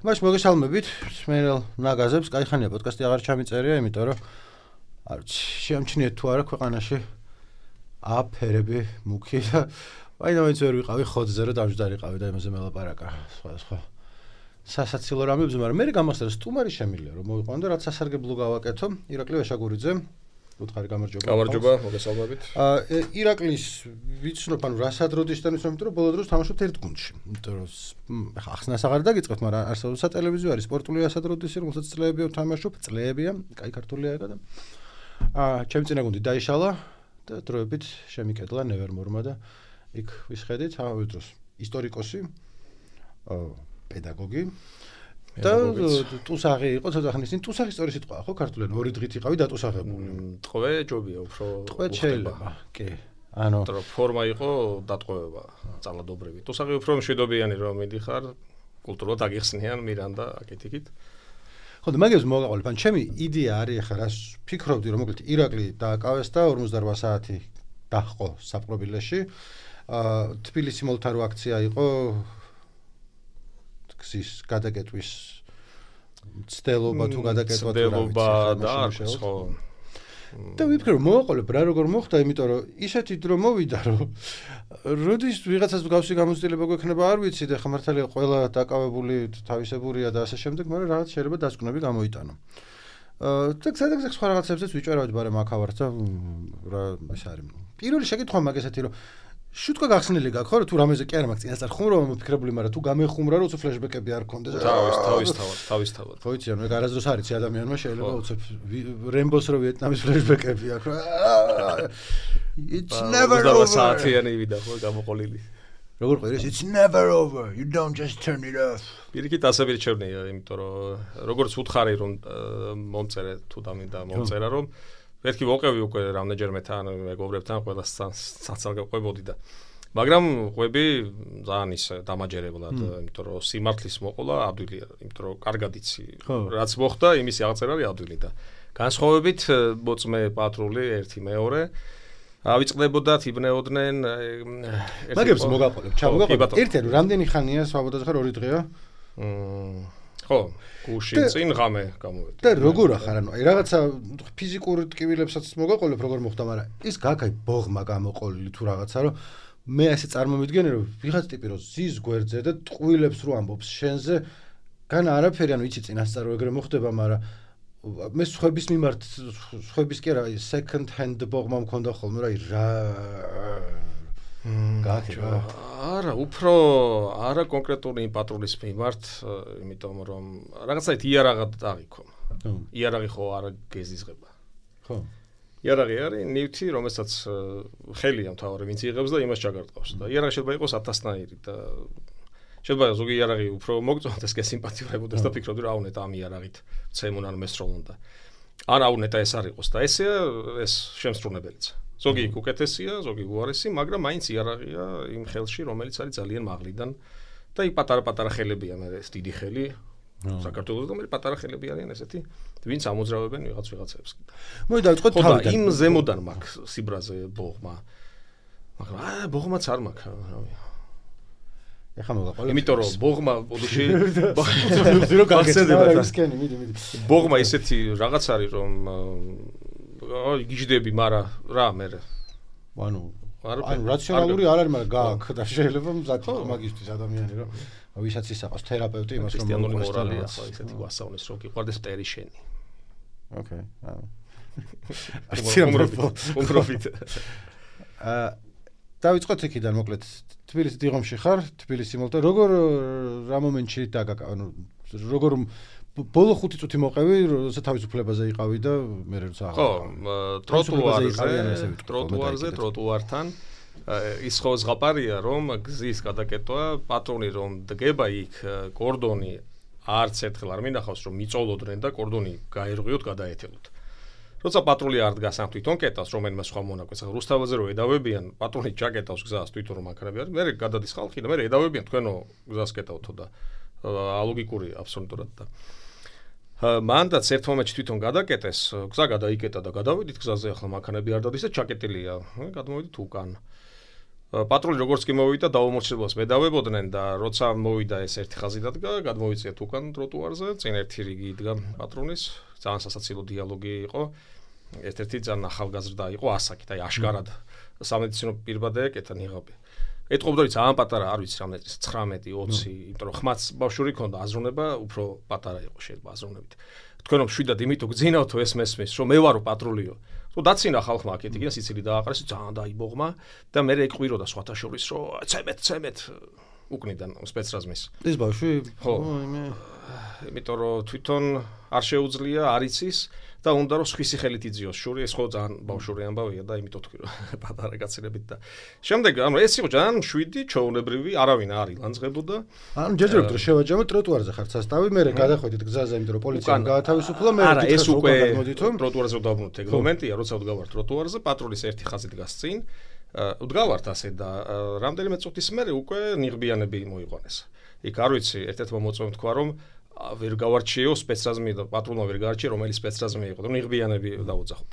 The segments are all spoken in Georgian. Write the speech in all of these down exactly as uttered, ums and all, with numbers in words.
მაშ მოგესალმებით, მსმენელ ნაგაზებს, კაიხანია პოდკასტი აღარ ჩამიწერია, იმიტომ რომ არ შეამჩნიეთ თუ არა ქვეყანაში აფერები მუქი და ვაინაინც ვერ ვიყავი ხოძზე რომ დამჯდარიყავი და იმაზე მელაპარაკა სხვა სხვა სასაცილო რამებს, მაგრამ მე გამახსენდა სტუმარი შემიძლია რომ მოვიყვანო და რაც სასარგებლო გავაკეთო ირაკლი ვეშაგურიძე უთხარი გამარჯობა. გამარჯობა, მოგესალმებით. აა ირაკლის ვიცნობ, ანუ რასადროდისთან ვიცნობ, რომ ბოლო დროს თამაშობთ ერთ გუნდში. იმიტომ რომ ხა ახსნას აღარ დაგიწყებთ, მაგრამ არსებობს სატელევიზიო არის სპორტული რასადროდისი, რომელსაც წლებია ვთამაშობ, წლებია, კაი ქართულია ეგა და აა ჩემი წინა გუნდი დაიშალა და დროებით შემიკედლა ნევერმორმა და იქ ვისხედით ამავე დროს ისტორიკოსი, აა პედაგოგი და ტუსაღი იყო ცოტა ხნის წინ ტუსაღის სწორი სიტყვაა ხო ქართულად ორი დღით იყავი დატუსაღებული. ტყვე ჯობია უფრო ტყვე შეიძლება. კი. ანუ თორე ფორმა იყო დატყვევება ძალადობრივი. ტუსაღი უფრო მშვიდობიანი რომ მიდიხარ კულტურულად აგიხსნიან მირანდა აკეთიკით. ხო და მაგებს მოგაყოლებ. ან ჩემი იდეა არის ახლა რას ფიქრობდი რომ მოკლედ ირაკლი დააკავეს და ორმოცდაორ საათი დაჰყო საპყრობილეში. აა თბილისი მოლთარო აქცია იყო გზის გადაკეტვის ცდელობა თუ გადაკეტვა თუ რა ვიცი და ხო და ვიფიქრე რომ მოვაყოლებ რა როგორ მოხდა იმიტომ რომ ისეთი დრო მოვიდა რომ როდის ვიღაცას გავსი გამოცდილება გვექნება არ ვიცი და ხა მართალია ყველა დაკავებული თავისებურია და ასე შემდეგ მაგრამ რაღაც შეიძლება დასკვნები გამოიტანო აა და სადაგზა სხვა რაღაცებზეც ვიჭერავდი მაგრამ აქ ავარ და რა ეს არის პირველი შეკითხვა მაგ ესეთი რომ შუტკა გახსნილი გაქვს ხო თუ რამეზე კი არა მაგ წინასწარ ხუმრობა მოფიქრებული მაგრამ თუ გამეხუმრა რომ უცებ ფლეშბეკები არ გქონდეს თავის თავის თავად თავის თავად ხო იცი ანუ ეგ არასდროს არის ადამიანმა შეიძლება უცებ რემბოს რო ვიეტნამის ფლეშბეკები აქვს რა it's never over საათიანი ვიდა ხო გამოყოლილი როგორ ყვირეს it's never over you don't just turn it off პირიქით ასე ვირჩევნია იმიტომ რომ როგორც უთხარი რომ მომწერე თუ დამინდა მომწერა რომ ერთი ვოყევი უკვე რამდენჯერმე თან მეგობრებთან ყველა საცალ ყვებოდი და მაგრამ ყვები ძალიან ის დამაჯერებლად იმიტომ რომ სიმართლის მოყოლა ადვილია იმიტომ რომ კარგად იცი რაც მოხდა იმის აღწერა არის ადვილი და განსხვავებით მოწმე პატრული ერთი მეორე ავიწყდებოდათ იბნეოდნენ მაგებს მოგაყოლებ ჩამოგაყოლებ ერთი რომ რამდენი ხანია სვაბოდაზე ხარ ორი დღეა ხო გუში წინ ღამე გამოვედი და როგორ ახარ ანუ აი რაღაცა ფიზიკურ ტკივილებსაც მოგაყოლებ როგორ მოხდა მაგრამ ის გაქაი ბოღმა გამოყოლილი თუ რაღაცა რომ მე ასე წარმომიდგენე რომ ვიღაც ტიპი რომ ზის გვერდზე და ტყუილებს რო ამბობს შენზე განა არაფერი ანუ იცი წინასწარ რო ეგრე მოხდება მაგრამ მე სხვების მიმართ სხვების კი არა second hand ბოღმა მქონდა ხოლმე რა რა გაქება არა უფრო არა კონკრეტული პატრულის მიმართ იმიტომ რომ რაღაცაით იარაღად დაღიქო იარაღი ხო არა გეზიზღება ხო იარაღი არის ნივთი რომელსაც ხელია მთავარი ვინც იღებს და იმას ჩაგარტყავს და იარაღი შეიძლება იყოს ათასნაირი და შეიძლება ზოგი იარაღი უფრო მოგწონდეს და სიმპათიურებოდეს და ფიქრობდი რომ აუნეტა ამ იარაღით ცემონ ან მესროლონ და ან აუნეტა ეს არ იყოს და ესეა ეს შემსრულებელიც ზოგი უკეთესია, ზოგი უარესი, მაგრამ მაინც იარაღია იმ ხელში, რომელიც არის ძალიან მაღლიდან და იქ პატარა-პატარა ხელებია, მე ეს დიდი ხელი. საქართველოს და მე პატარა ხელები არიან ესეთი, ვინც ამოძრავებენ ვიღაც ვიღაცებს. მოდი დავიწყოთ თავიდან. იმ ზემოდან მაქვს სიბრაზე ბოღმა. მაგრამ აა ბოღმაც არ მაქვს, რავი. ეხა მოგაყოლებ. იმიტომ რომ ბოღმა ბოდიში ზირო გაგეცდება ისკენი, მიდი, მიდი. ბოღმა ისეთი რაღაც არის რომ აი გიждები, მაგრამ რა მე ანუ ანუ რაციონალური არ არის, მაგრამ გააქვს და შეიძლება მზად იყო მაგისთვის ადამიანი რომ ვისაც ისაყავს თერაპევტი იმას რომ ქრისტიანული მორალია ხო ისეთი გვასწავლეს რომ გიყვარდეს მტერი შენი. ოკეი. აა პროფიტ. აა დავიწყოთ იქიდან მოკლედ თბილისის დიღომში ხარ, თბილისი მოლთა როგორ რა მომენტში დაგაკა ანუ როგორ ბოლო ხუთი წუთი მოყევი, როცა თავისუფლებაზე იყავი და მე როცა ხო, ტროტუარზე, ტროტუარზე, ტროტუართან ის ხო ზღაპარია, რომ გზის გადაკეტვა, პატრონი რომ დგება იქ, კორდონი არც ერთხელ არ მინახავს, რომ მიწოლოდნენ და კორდონი გაერღვიოთ, გადაეთელოთ. როცა პატრული არ დგას ამ თვითონ კეტავს, რომელიმე სხვა მონაკვეთს, რუსთავაზე რო ედავებიან, პატრონი ჩაკეტავს გზას თვითონ რომ აქრები არის, მე გადადის ხალხი და მე ედავებიან თქვენო გზას კეტავთო და ალოგიკურია აბსოლუტურად და მანდაც ერთ მომენტში თვითონ გადაკეტეს, გზა გადაიკეტა და გადავედით გზაზე ახლა მანქანები არ დადის და ჩაკეტილია. გადმოვედით უკან. პატრული როგორც კი მოვიდა დაუმორჩილებას მედავებოდნენ და როცა მოვიდა ეს ერთი ხაზი დადგა, გადმოვიწიეთ უკან ტროტუარზე, წინ ერთი რიგი იდგა პატრულის, ძალიან სასაცილო დიალოგი იყო. ერთ-ერთი ძალიან ახალგაზრდა იყო ასაკით, აი აშკარად სამედიცინო პირბადე ეკეთა ნიღაბი. ეთყობდა რომ ძალიან პატარა, არ ვიცი რამე ცხრამეტი ოცი, იმიტომ რომ ხმაც ბავშვური ქონდა, აზროვნება უფრო პატარა იყო შეიძლება აზროვნებით. თქვენ რომ შვიდად იმით უგძინავთ ეს მესმის, რომ მე ვარო პატრულიო. თუ დაცინა ხალხმა აქეთ იქნა სიცილი დააყარეს, ძალიან დაიბოღმა და მე ეკვიროდა სხვათა შორის რომ ცემეთ, ცემეთ უკნიდან სპეცრაზმის. ეს ბავშვი ხო, იმე იმიტომ რომ თვითონ არ შეუძლია, არ იცის და უნდა რომ სხვისი ხელით იძიოს შური, ეს ხო ძალიან ბავშვური ამბავია და იმიტომ თქვი რომ პატარა კაცინებით და შემდეგ ანუ ეს იყო ძალიან მშვიდი, ჩაუნებრივი, არავინ არ ილანძღებოდა. ანუ ჯერჯერობით რომ შევაჯამოთ ტროტუარზე ხარ სასტავი, მე გადახვედით გზაზე, იმიტომ რომ პოლიციამ გაათავისუფლა, მე არა, ეს უკვე ტროტუარზე დავბრუნოთ ეგ მომენტია, როცა ვდგავართ ტროტუარზე, პატრულის ერთი ხაზი დგას წინ, ვდგავართ ასე და რამდენიმე წუთის მერე უკვე ნიღბიანები მოიყვანეს. იქ არ ვიცი, ერთ-ერთმა მოწვევამ თქვა რომ ვერ გავარჩიო სპეცრაზმი და პატრულმა ვერ გაარჩია რომელი სპეცრაზმი იყო და ნიღბიანები დაუძახოთ.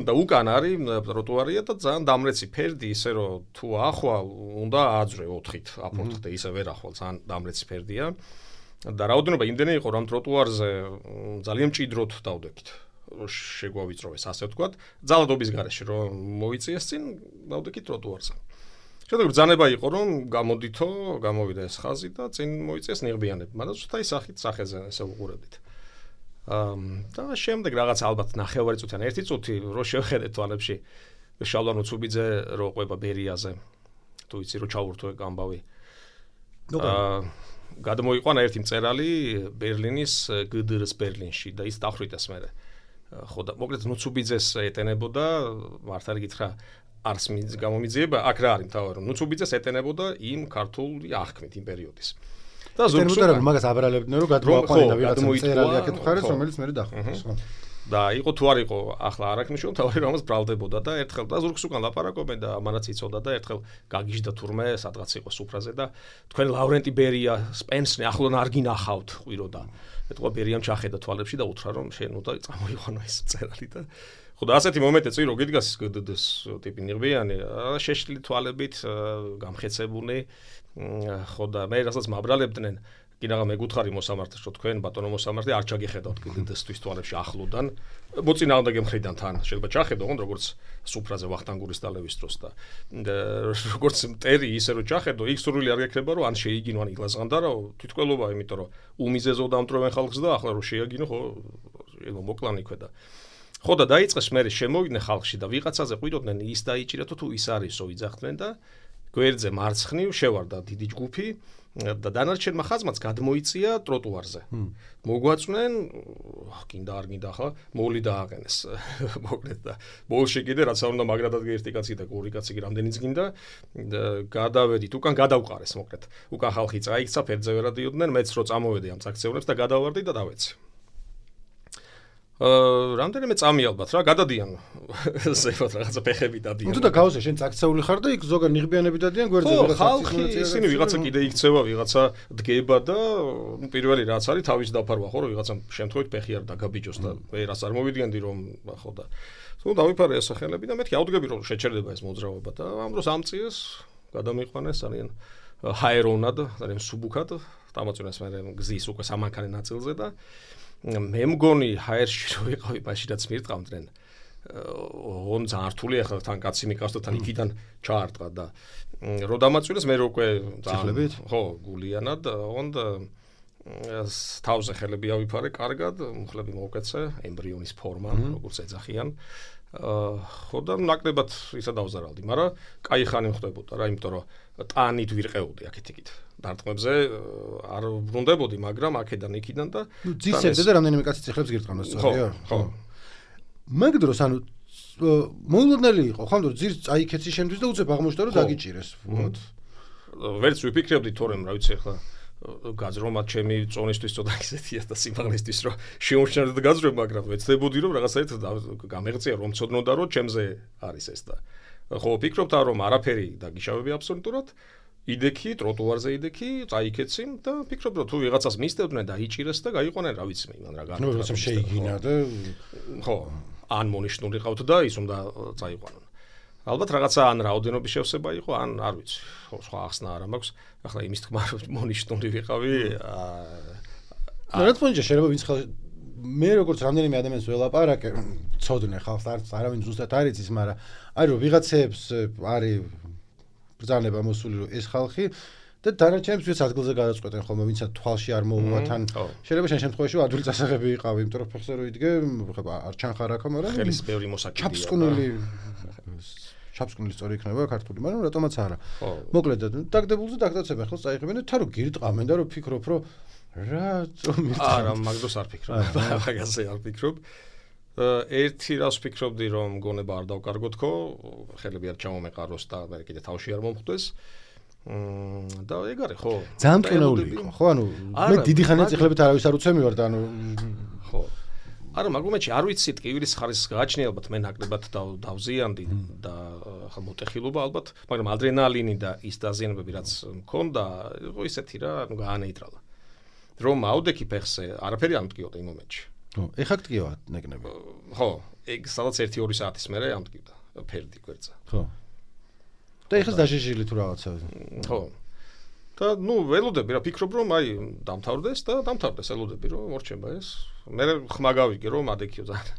და უკან არის ტროტუარია და ძალიან დამრეცი ფერდი, ისე რომ თუ ახვალ უნდა აძრე ოთხით აფორთხდე, ისე ვერ ახვალ, ძალიან დამრეცი ფერდია. და რაოდენობა იმდენი იყო რომ ტროტუარზე ძალიან მჭიდროდ დავდექით. შეგვავიწროვეს ასე ვთქვათ, ძალადობის გარეშე რომ მოიწიეს წინ დავდექით ტროტუარზე. შემდეგ ბრძანება იყო რომ გამოდითო, გამოვიდა ეს ხაზი და წინ მოიწიეს ნიღბიანები. მაგრამ ზუსტად ის სახით სახეზე ესე უყურებდით. აა და შემდეგ რაღაც ალბათ ნახევარი წუთი ან ერთი წუთი რო შევხედეთ თვალებში შალვან უცუბიძე რო ყვება ბერიაზე. თუ იცი რო ჩაურთო ეგ ამბავი. აა გადმოიყვანა ერთი მწერალი ბერლინის გ დ რ-ს ბერლინში და ის დახვრიტეს მერე. ხო და მოკლედ ნუცუბიძეს ეტენებოდა, მართალი გითხრა არს გამომიძიება, აქ რა არის მთავარი რომ ნუცუბიძეს ეტენებოდა იმ ქართული აღქმით იმ პერიოდის. და ზოგადად მაგას აბრალებდნენ რომ გადმოაყვანინა ვიღაცა მწერალი აქეთ მხარეს, რომელიც მე დახვრიტეს, ხო. და იყო თუ არ იყო ახლა არ აქვს მნიშვნელობა, თავი რომელს ბრალდებოდა და ერთხელ და ზურგს უკან ლაპარაკობენ და ამანაც იცოდა და ერთხელ გაგიჟდა თურმე სადღაც იყო სუფრაზე და თქვენ ლავრენტი ბერია სპენსნი ახლონ არ გინახავთ ყვიროდა. ეთქვა ბერიამ ჩახედა თვალებში და უთხრა რომ შენ უნდა წამოიყვანო ეს მწერალი და ხო და ასეთი მომენტი წინ რო გიდგას გ დ დ-ს ტიპი ნიღბიანი, შეშლილი თვალებით, გამხეცებული, ხო და მე რასაც მაბრალებდნენ კი რაღა მეგუთხარი მოსამართლეს რომ თქვენ ბატონო მოსამართლე არ ჩაგიხედავთ გ დ დ-სთვის თვალებში ახლოდან მოწინააღმდეგე მხრიდან თან შეიძლება ჩახედო ოღონდ როგორც სუფრაზე ვახტანგურის დალევის დროს და როგორც მტერი ისე რომ ჩახედო იქ სურვილი არ გექნება რომ ან შეიგინო ან ილაზღანდარო თვითკველობა იმიტომ რომ უმიზეზო დამტვრევენ ხალხს და ახლა რომ შეაგინო ხო ეგ მოკლანი ქვედა ხო და დაიწყეს მე შემოვიდნენ ხალხში და ვიღაცაზე ყვიროდნენ ის დაიჭირეთო თუ ის არისო იძახდნენ და გვერდზე მარცხნივ შევარდა დიდი ჯგუფი და დანარჩენმა ხაზმაც გადმოიწია ტროტუარზე. მოგვაწვნენ, კიდე არ გინდა ახლა, მოვლი დააყენეს. მოკლედ და ბოლში კიდე რაც არ უნდა მაგრადად ერთი კაცი და ორი კაცი რამდენიც გინდა გადავედით, უკან გადავყარეს მოკლედ. უკან ხალხი წაიქცა, ფერდზე ვერ ადიოდნენ, მეც რო წამოვედი ამ აქციონებს და გადავარდი და დავეცი. აა რამდენიმე წამი ალბათ რა გადადიან ზევად რაღაცა ფეხები დადიან. თუ და გავზე შენ წაქცეული ხარ და იქ ზოგან ნიღბიანები დადიან გვერდზე ვიღაცა ხალხი ისინი ვიღაცა კიდე იქცევა ვიღაცა დგება და ნუ პირველი რაც არის თავის დაფარვა ხო რომ ვიღაცა შემთხვევით ფეხი არ დაგაბიჯოს და ვერას არ მოვიდგენდი რომ ხო და თუ დავიფარე ეს სახელები და მეთქი ავდგები რომ შეჩერდება ეს მოძრაობა და ამ დროს ამწიეს გადამიყვანეს ძალიან ჰაერონად ძალიან სუბუქად დამოწინეს მე გზის უკვე სამანქანე ნაწილზე და მე მგონი ჰაერში რო ვიყავი მაშინაც მირტყავდნენ ოღონ ძალიან რთული ახლა თან კაცი მიყავს და თან იქიდან ჩაარტყა და რო დამაწვინეს მე რო უკვე ციხლებით ხო გულიანად ოღონ თავზე ხელები ავიფარე კარგად მუხლები მოვკეცე ემბრიონის ფორმა როგორც ეძახიან ხო და ნაკლებად ისა დავზარალდი მაგრამ კაი ხანი მხვდებოდა რა იმიტომ რომ ტანით ვირყეოდი აქეთ-იქით დარტყმებზე არ ბრუნდებოდი მაგრამ აქედან იქიდან და ძისებდა და რამდენიმე კაცი ციხლებს გირტყამდა სწორია ხო მაგ დროს ანუ მოულოდნელი იყო ხო რომ ძირს წაიქეცი შენთვის და უცებ აღმოჩნდა რომ დაგიჭირეს ვთქვათ ვერც ვიფიქრებდი თორემ რა ვიცი ახლა გაძრომა ჩემი წონისთვის ცოტა ისეთია და სიმაღლისთვის რომ შეუმჩნევდი გაძრომა მაგრამ ვეცდებოდი რომ რაღაცაერთ გამეღწია რომ ცოდნოდა რომ ჩემზე არის ეს და ხო ვფიქრობთ რომ არაფერი დაგიშავები აბსოლუტურად იდექი ტროტუარზე იდექი წაიქეცი და ვფიქრობ რომ თუ ვიღაცას მისდევდნენ და იჭირეს და გაიყვანენ რა ვიცი მე იმან რა განაცხადა ნუ რაღაცა შეიგინა და ხო ან მონიშნული ყავთ და ის უნდა წაიყვანონ ალბათ რაღაცა ან რაოდენობის შევსება იყო, ან არ ვიცი, ხო, სხვა ახსნა არ მაქვს. ახლა იმის თქმა მონიშნული ვიყავი. რა თქმა უნდა, შეიძლება ვინც ხალხი მე როგორც რამდენიმე ადამიანს ველაპარაკე, ცოდნე ხალხს არც არავინ ზუსტად არ იცის, მაგრამ არის რომ ვიღაცებს არის ბრძანება მოსული რომ ეს ხალხი და დანარჩენებს ვინც ადგილზე გადაწყვეტენ ხოლმე, ვინცაც თვალში არ მოუვა თან. შეიძლება შენ შემთხვევაში ადვილი წასაღები იყავი, იმიტომ რომ ფეხზე რო იდგე, ხება არ ჩანხარ აქ, მაგრამ ხელის ბევრი მოსაკიდია. ჩაფსკვნილი ჩაფსკვნილი სწორი იქნება ქართული, მაგრამ რატომაც არა. მოკლედ დაგდებულზე დაგდაცებენ ხელს წაიღებენ და თან რო გირტყამენ და რო ფიქრობ რომ რატომ მირტყამენ. არა, მაგდროს არ ფიქრობ. მაგაზე არ ფიქრობ. ერთი რას ვფიქრობდი რომ გონება არ დავკარგოთ ხო, ხელები არ ჩამომეყაროს და მე კიდე თავში არ მომხვდეს. მმ და ეგ არის ხო? ძალიან მტკივნეული იყო, ხო? ანუ მე დიდი ხანია წიხლებით არავის არ უცემივარ და ანუ ხო. არა, მაგრამ მე არ ვიცი ტკივილის ხარისხს გააჩნია ალბათ მე ნაკლებად დავზიანდი და ხა მოტეხილობა ალბათ, მაგრამ ადრენალინი და ის დაზიანებები რაც მქონდა, იყო ისეთი რა, ანუ გაანეიტრალა. რომ აუდექი ფეხზე, არაფერი არ მტკიოდა იმ მომენტში. ხო, ეხა გტკივა ნეკნები. ხო, ეგ სადაც ერთი ორი საათის მერე ამტკივდა, ფერდი გვერდზე. ხო. და ეხლა დაშიჟილი თუ რაღაცა. ხო. და ნუ ველოდები რა, ფიქრობ რომ აი დამთავრდეს და დამთავრდეს, ელოდები რომ მორჩება ეს. მე ხმა გავიგე რომ ადექიო ძალიან.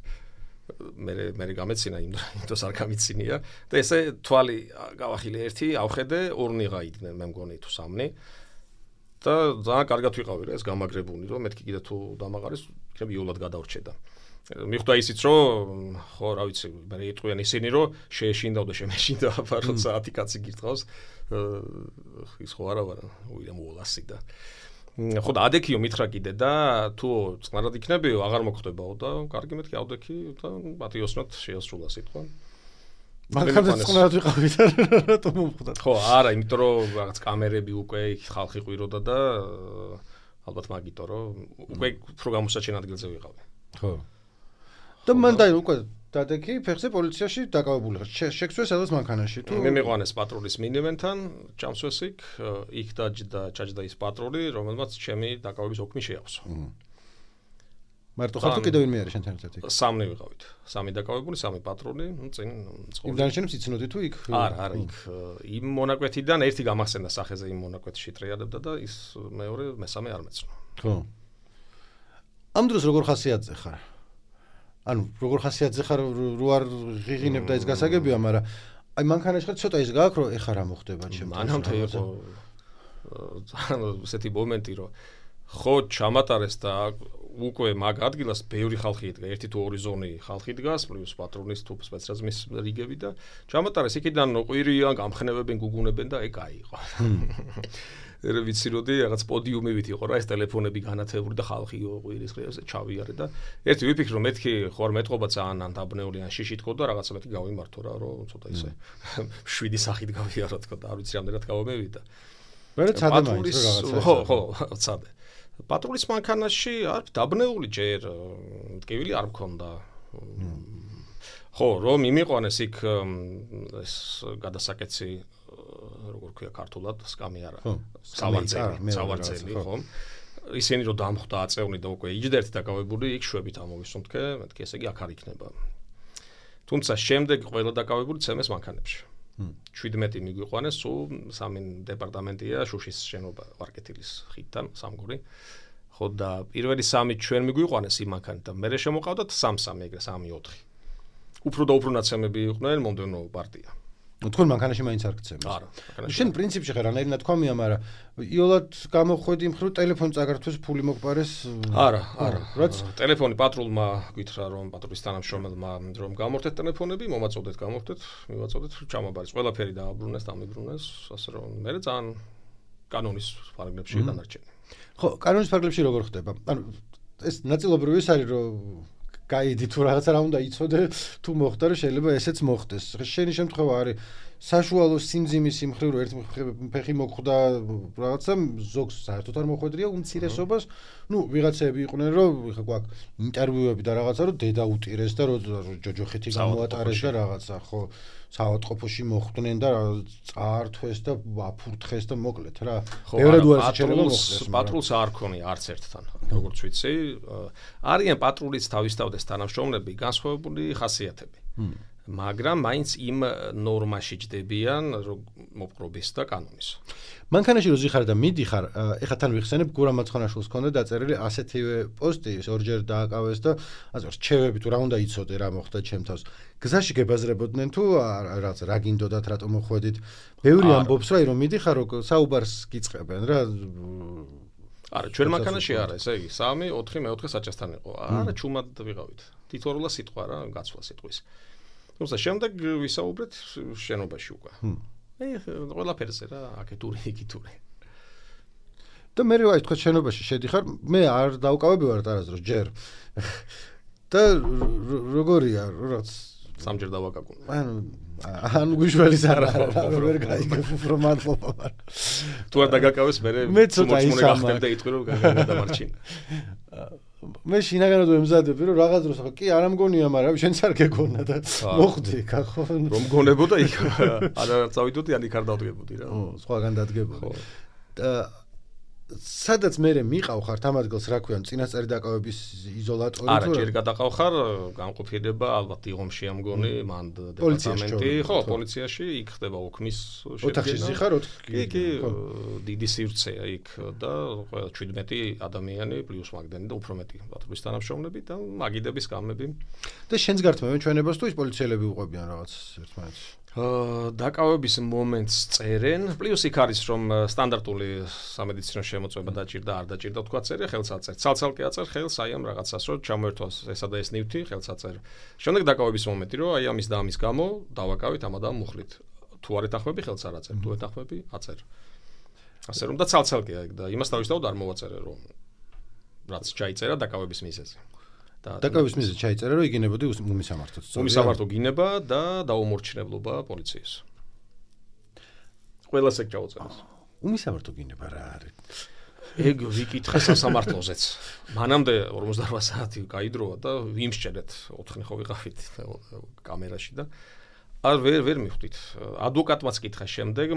მე მე გამეცინა იმ დროს არ გამიცინია და ესე თვალი გავახილე ერთი, ავხედე, ორნი გაიდნენ, მე მგონი თუ სამნი. და ძალიან კარგად ვიყავი რა, ეს გამაგრებული რომ მეთქი კიდე თუ დამაყარეს, იქნებ იულად გადავრჩედა. მიხვდა ისიც რომ ხო რა ვიცი, მე იტყვიან ისინი რომ შეეშინდავ და შემეშინდა, აბა რომ საათი კაცი გირთყავს. ის ხო არა ვარ, უიდან მოვლასი და ხო და ადექიო მითხრა კიდე და თუ წყნარად იქნებიო, აღარ მოხდებაო და კარგი მეთქი ავდექი და პატიოსნოთ შეასრულა სიტყვა. მაგალითად წყნარად ვიყავი და რატომ მომხდა? ხო, არა, იმიტომ რომ რაღაც კამერები უკვე იქ ხალხი ყვიროდა და ალბათ მაგიტო რომ უკვე უფრო გამოსაჩენ ადგილზე ვიყავი. ხო. და მან და უკვე დადექი ფეხზე პოლიციაში დაკავებული ხარ. შეგვცეს სადაც მანქანაში თუ მე მიყვანეს პატრულის მინივენთან, ჭამსვეს იქ, იქ დაჯდა ჩაჯდა ის პატრული, რომელმაც ჩემი დაკავების ოქმი შეავსო. მარტო ხარ თუ კიდევ ვინმე არის შენთან ერთად იქ? სამნი ვიყავით. სამი დაკავებული, სამი პატრული, ну წინ წყობი. იმ დანარჩენებს იცნოდი თუ იქ? არა, არა, იქ იმ მონაკვეთიდან ერთი გამახსენდა სახეზე იმ მონაკვეთში ტრიალებდა და ის მეორე, მესამე არ მეცნო. ხო. ამ დროს როგორ ხასიათზე ხარ? ანუ როგორ ხასიათზე ხარ რო არ ღიღინებ და ის გასაგებია, მაგრამ აი მანქანაში ხარ ცოტა ის გააქვს რომ ეხა რა მოხდება ჩემთან. მანამდე იყო ანუ ესეთი მომენტი რომ ხო ჩამატარეს და უკვე მაგ ადგილას ბევრი ხალხი იდგა, ერთი თუ ორი ზონი ხალხი დგას, პლუს პატრონის თუ სპეცრაზმის რიგები და ჩამატარეს იქიდან ყვირიან, გამხნევებენ, გუგუნებენ და ეგ აიყო. ერე ვიცი როდი რაღაც პოდიუმებით იყო რა ეს ტელეფონები განათებული და ხალხი ყვირის ხეებზე ჩავიარე და ერთი ვიფიქრე რომ მეთქი ხო არ მეტყობა ძალიან ან დაბნეული ან შიში თქო და რაღაცა მეთქი გავიმართო რა რომ ცოტა ისე შვიდი სახით გავიარო თქო და არ ვიცი რამდენად გავამევიდა. მე ცადე მაინც რაღაცა. ხო, ხო, ცადე. პატრულის მანქანაში არ დაბნეული ჯერ მტკივილი არ მქონდა. ხო, რომ იმიყვანეს იქ ეს გადასაკეცი როგორ ქვია ქართულად, სკამი არა. სავარძელი, სავარძელი, ხო. ისინი რომ დამხვდა აწევნი და უკვე იჯდერთი დაკავებული, იქ შვებით ამოვისუნთქე, მეთქი ესე იგი აქ არ იქნება. თუმცა შემდეგ ყველა დაკავებული ცემეს მანქანებში. შვიდმეტი მიგვიყვანეს, სულ სამი დეპარტამენტია შუშის შენობა ვარკეთილის ხიდთან, სამგორი. ხო და პირველი სამი ჩვენ მიგვიყვანეს იმ მანქანით, მერე შემოყავდათ სამ-სამი, ეგრე სამი-ოთხი. უფრო და უფრო ნაცემები იყვნენ მომდევნო პარტია. თქვენ მანქანაში მაინც არ გცემთ. არა, მანქანაში. შენ პრინციპში ხარ რანაირი ნათქვამია, მაგრამ იოლად გამოხვედი მხრივ ტელეფონი წაგართვეს, ფული მოგპარეს. არა, არა. რაც ტელეფონი პატრულმა გითხრა რომ პატრულის თანამშრომელმა რომ გამორთეთ ტელეფონები, მომაწოდეთ, გამორთეთ, მივაწოდეთ, ჩამაბარეს. ყველაფერი დააბრუნეს, დამიბრუნეს, ასე რომ მე ძალიან კანონის ფარგლებში დანარჩენი. ხო, კანონის ფარგლებში როგორ ხდება? ანუ ეს ნაწილობრივ ის არის რომ გაიდი თუ რაღაცა რა უნდა იცოდე თუ მოხდა რომ შეიძლება ესეც მოხდეს. შენი შემთხვევა არის საშუალო სიმძიმის იმ მხრივ რომ ერთ ფეხი მოხვდა რაღაცა ზოგს საერთოდ არ მოხვედრია უმცირესობას. ნუ ვიღაცები იყვნენ რომ ხა გვაქვს ინტერვიუები და რაღაცა რომ დედა უტირეს და რომ ჯოჯოხეთი გამოატარეს და რაღაცა ხო საავადმყოფოში მოხვდნენ და წაართვეს და აფურთხეს და მოკლედ რა. ბევრად უარეს შეიძლება მოხდეს. პატრულს არ ქონია არც ერთთან, როგორც ვიცი. არიან პატრულის თავისთავად თანამშრომლები განსხვავებული ხასიათები. მაგრამ მაინც იმ ნორმაში ჯდებიან მოპყრობის და კანონის. მანქანაში რო ზიხარ და მიდიხარ, ეხლა თან ვიხსენებ გურამ მაცხანაშვილს ჰქონდა დაწერილი ასეთივე პოსტი, ორჯერ დააკავეს და ასე რჩევები თუ რა უნდა იცოდე, რა მოხდა ჩემ თავს. გზაში გებაზრებოდნენ თუ რაღაც რა გინდოდათ, რატომ მოხვედით. ბევრი ამბობს რა, რომ მიდიხარ, რომ საუბარს გიწყებენ რა. არა, ჩვენ მანქანაში არა, ესე იგი, სამი, ოთხი, მეოთხე საჭასთან იყო. არა, ჩუმად ვიყავით. თითოეულა სიტყვა რა, გაცვლა სიტყვის. თუმცა შემდეგ ვისაუბრეთ შენობაში უკვე. ე ყველაფერზე რა, აკეთური, იკითური. და მე რა ითქვა შენობაში შედიხარ, მე არ დავკავები ვარ არასდროს ჯერ. და როგორია, რაც სამჯერ დავაკაკუნე. ანუ ან გვიშველის არა, ვერ გაიგებ უფრო მადლობა მარ. თუ არ დაგაკავეს მე მოწმუნე გახდები და იტყვი რომ გადამარჩინე. მე შინაგანად ვემზადები რომ რაღაც დროს ხო კი არ ამგონია, მაგრამ შენც არ გეგონა და მოხდი იქ ხო რომ გონებოდა იქ არა წავიდოდი ან იქ არ დავდგებოდი რა. ო, სხვაგან დადგებოდი. და სადაც მე მიყავ ხარ ამ ადგილს რა ქვია, წინასწარი დაკავების იზოლატორი თუ არა, ჯერ გადაყავ ხარ, განყოფილება ალბათ იღომში ამგონი, მან დეპარტამენტი, ხო, პოლიციაში იქ ხდება ოქმის შედგენა. ოთახში ზიხარ ოთხი. კი, კი, დიდი სივრცეა იქ და ყველა შვიდმეტი ადამიანი პლუს მაგდენი და უფრო მეტი პატრულის თანამშრომლები და მაგიდების გამები. და შენს გართმევენ ჩვენებას თუ ის პოლიციელები უყვებიან რაღაც ერთმანეთს? დაკავების მომენტს წერენ, პლუს იქ არის რომ სტანდარტული სამედიცინო შემოწმება დაჭირდა, არ დაჭირდა თქვა წერია, ხელს აწერ. ცალ-ცალკე აწერ ხელს აი ამ რაღაცას, რომ ჩამოერთვას ესა და ეს ნივთი, ხელს აწერ. შემდეგ დაკავების მომენტი, რომ აი ამის და ამის გამო დავაკავით ამ და ამ მუხლით. თუ არ ეთახმები ხელს არ აწერ, თუ ეთახმები აწერ. ასე რომ და ცალ-ცალკეა იქ და იმას თავისთავად არ მოვაწერე რომ რაც ჩაიწერა დაკავების მიზეზი. დაკავების მიზეზი ჩაიწერა რომ იგინებოდი უმისამართოდ. უმისამართო გინება და დაუმორჩილებლობა პოლიციის. ყველას ეგ ჩაუწერეს. უმისამართო გინება რა არის? ეგ ვიკითხე სასამართლოზეც. მანამდე ორმოცდაოთხ საათი გაიდროა და ვიმსჭერეთ ოთხი ხო ვიყავით კამერაში და არ ვერ ვერ მივხვდით. ადვოკატმაც კითხა შემდეგ,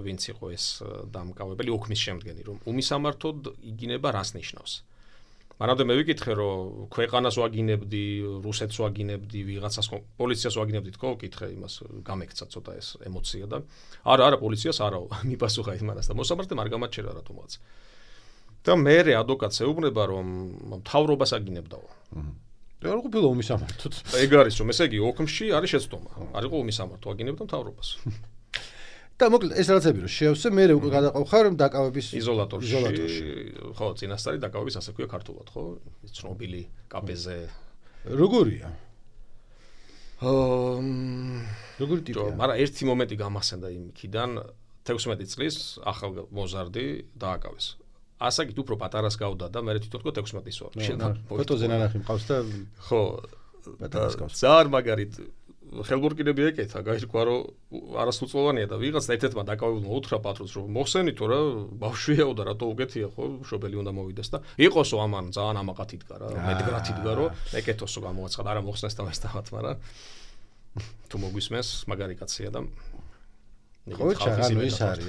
ვინც იყო ეს დამკავებელი ოქმის შემდგენი, რომ უმისამართოდ იგინება რას ნიშნავს. მანამდე მე ვიკითხე რომ ქვეყანას ვაგინებდი, რუსეთს ვაგინებდი, ვიღაცას პოლიციას ვაგინებდი თქო, ვკითხე იმას, გამექცა ცოტა ეს ემოცია და არა, არა, პოლიციას არაო, მიპასუხა იმას და მოსამართლემ არ გამაჩერა რატომაც. და მე ადვოკატს ეუბნება რომ მთავრობას აგინებდაო. არ ყოფილა უმისამართოდ. ეგ არის რომ ესე იგი ოქმში არის შეცდომა. არ იყო უმისამართო, აგინებდა მთავრობას. და მოკლედ ეს რაღაცები რომ შეავსე, მე უკვე გადაყავ ხარ დაკავების იზოლატორში. ხო, წინასწარი დაკავების ასე ქვია ქართულად, ხო? ცნობილი კაპეზე. როგორია? აა როგორი ტიპია? მაგრამ ერთი მომენტი გამახსენდა იმიდან, თექვსმეტი წლის ახალმოზარდი დააკავეს. ასაკით უფრო პატარას გავდა და მე თვითონ თქო თექვსმეტის ვარ. ფოტოზე ნანახი მყავს და ხო, პატარას გავს. ზარ მაგარით ხელბურკინები ეკეთა, გაირკვა რომ არასრულწლოვანია და ვიღაც ერთ-ერთმა დაკავებულმა უთხრა პატრულს რომ მოხსენითო რა, ბავშვიაო და რატო უკეთია ხო, მშობელი უნდა მოვიდეს და იყოსო ამან ძალიან ამაყად იდგა რა, მედგრად იდგა რომ ეკეთოსო გამოაცხადა, არა მოხსნეს და მასთავად, მაგრამ თუ მოგვისმენს მაგარი კაცია და ხო, ჩაღანო ის არის.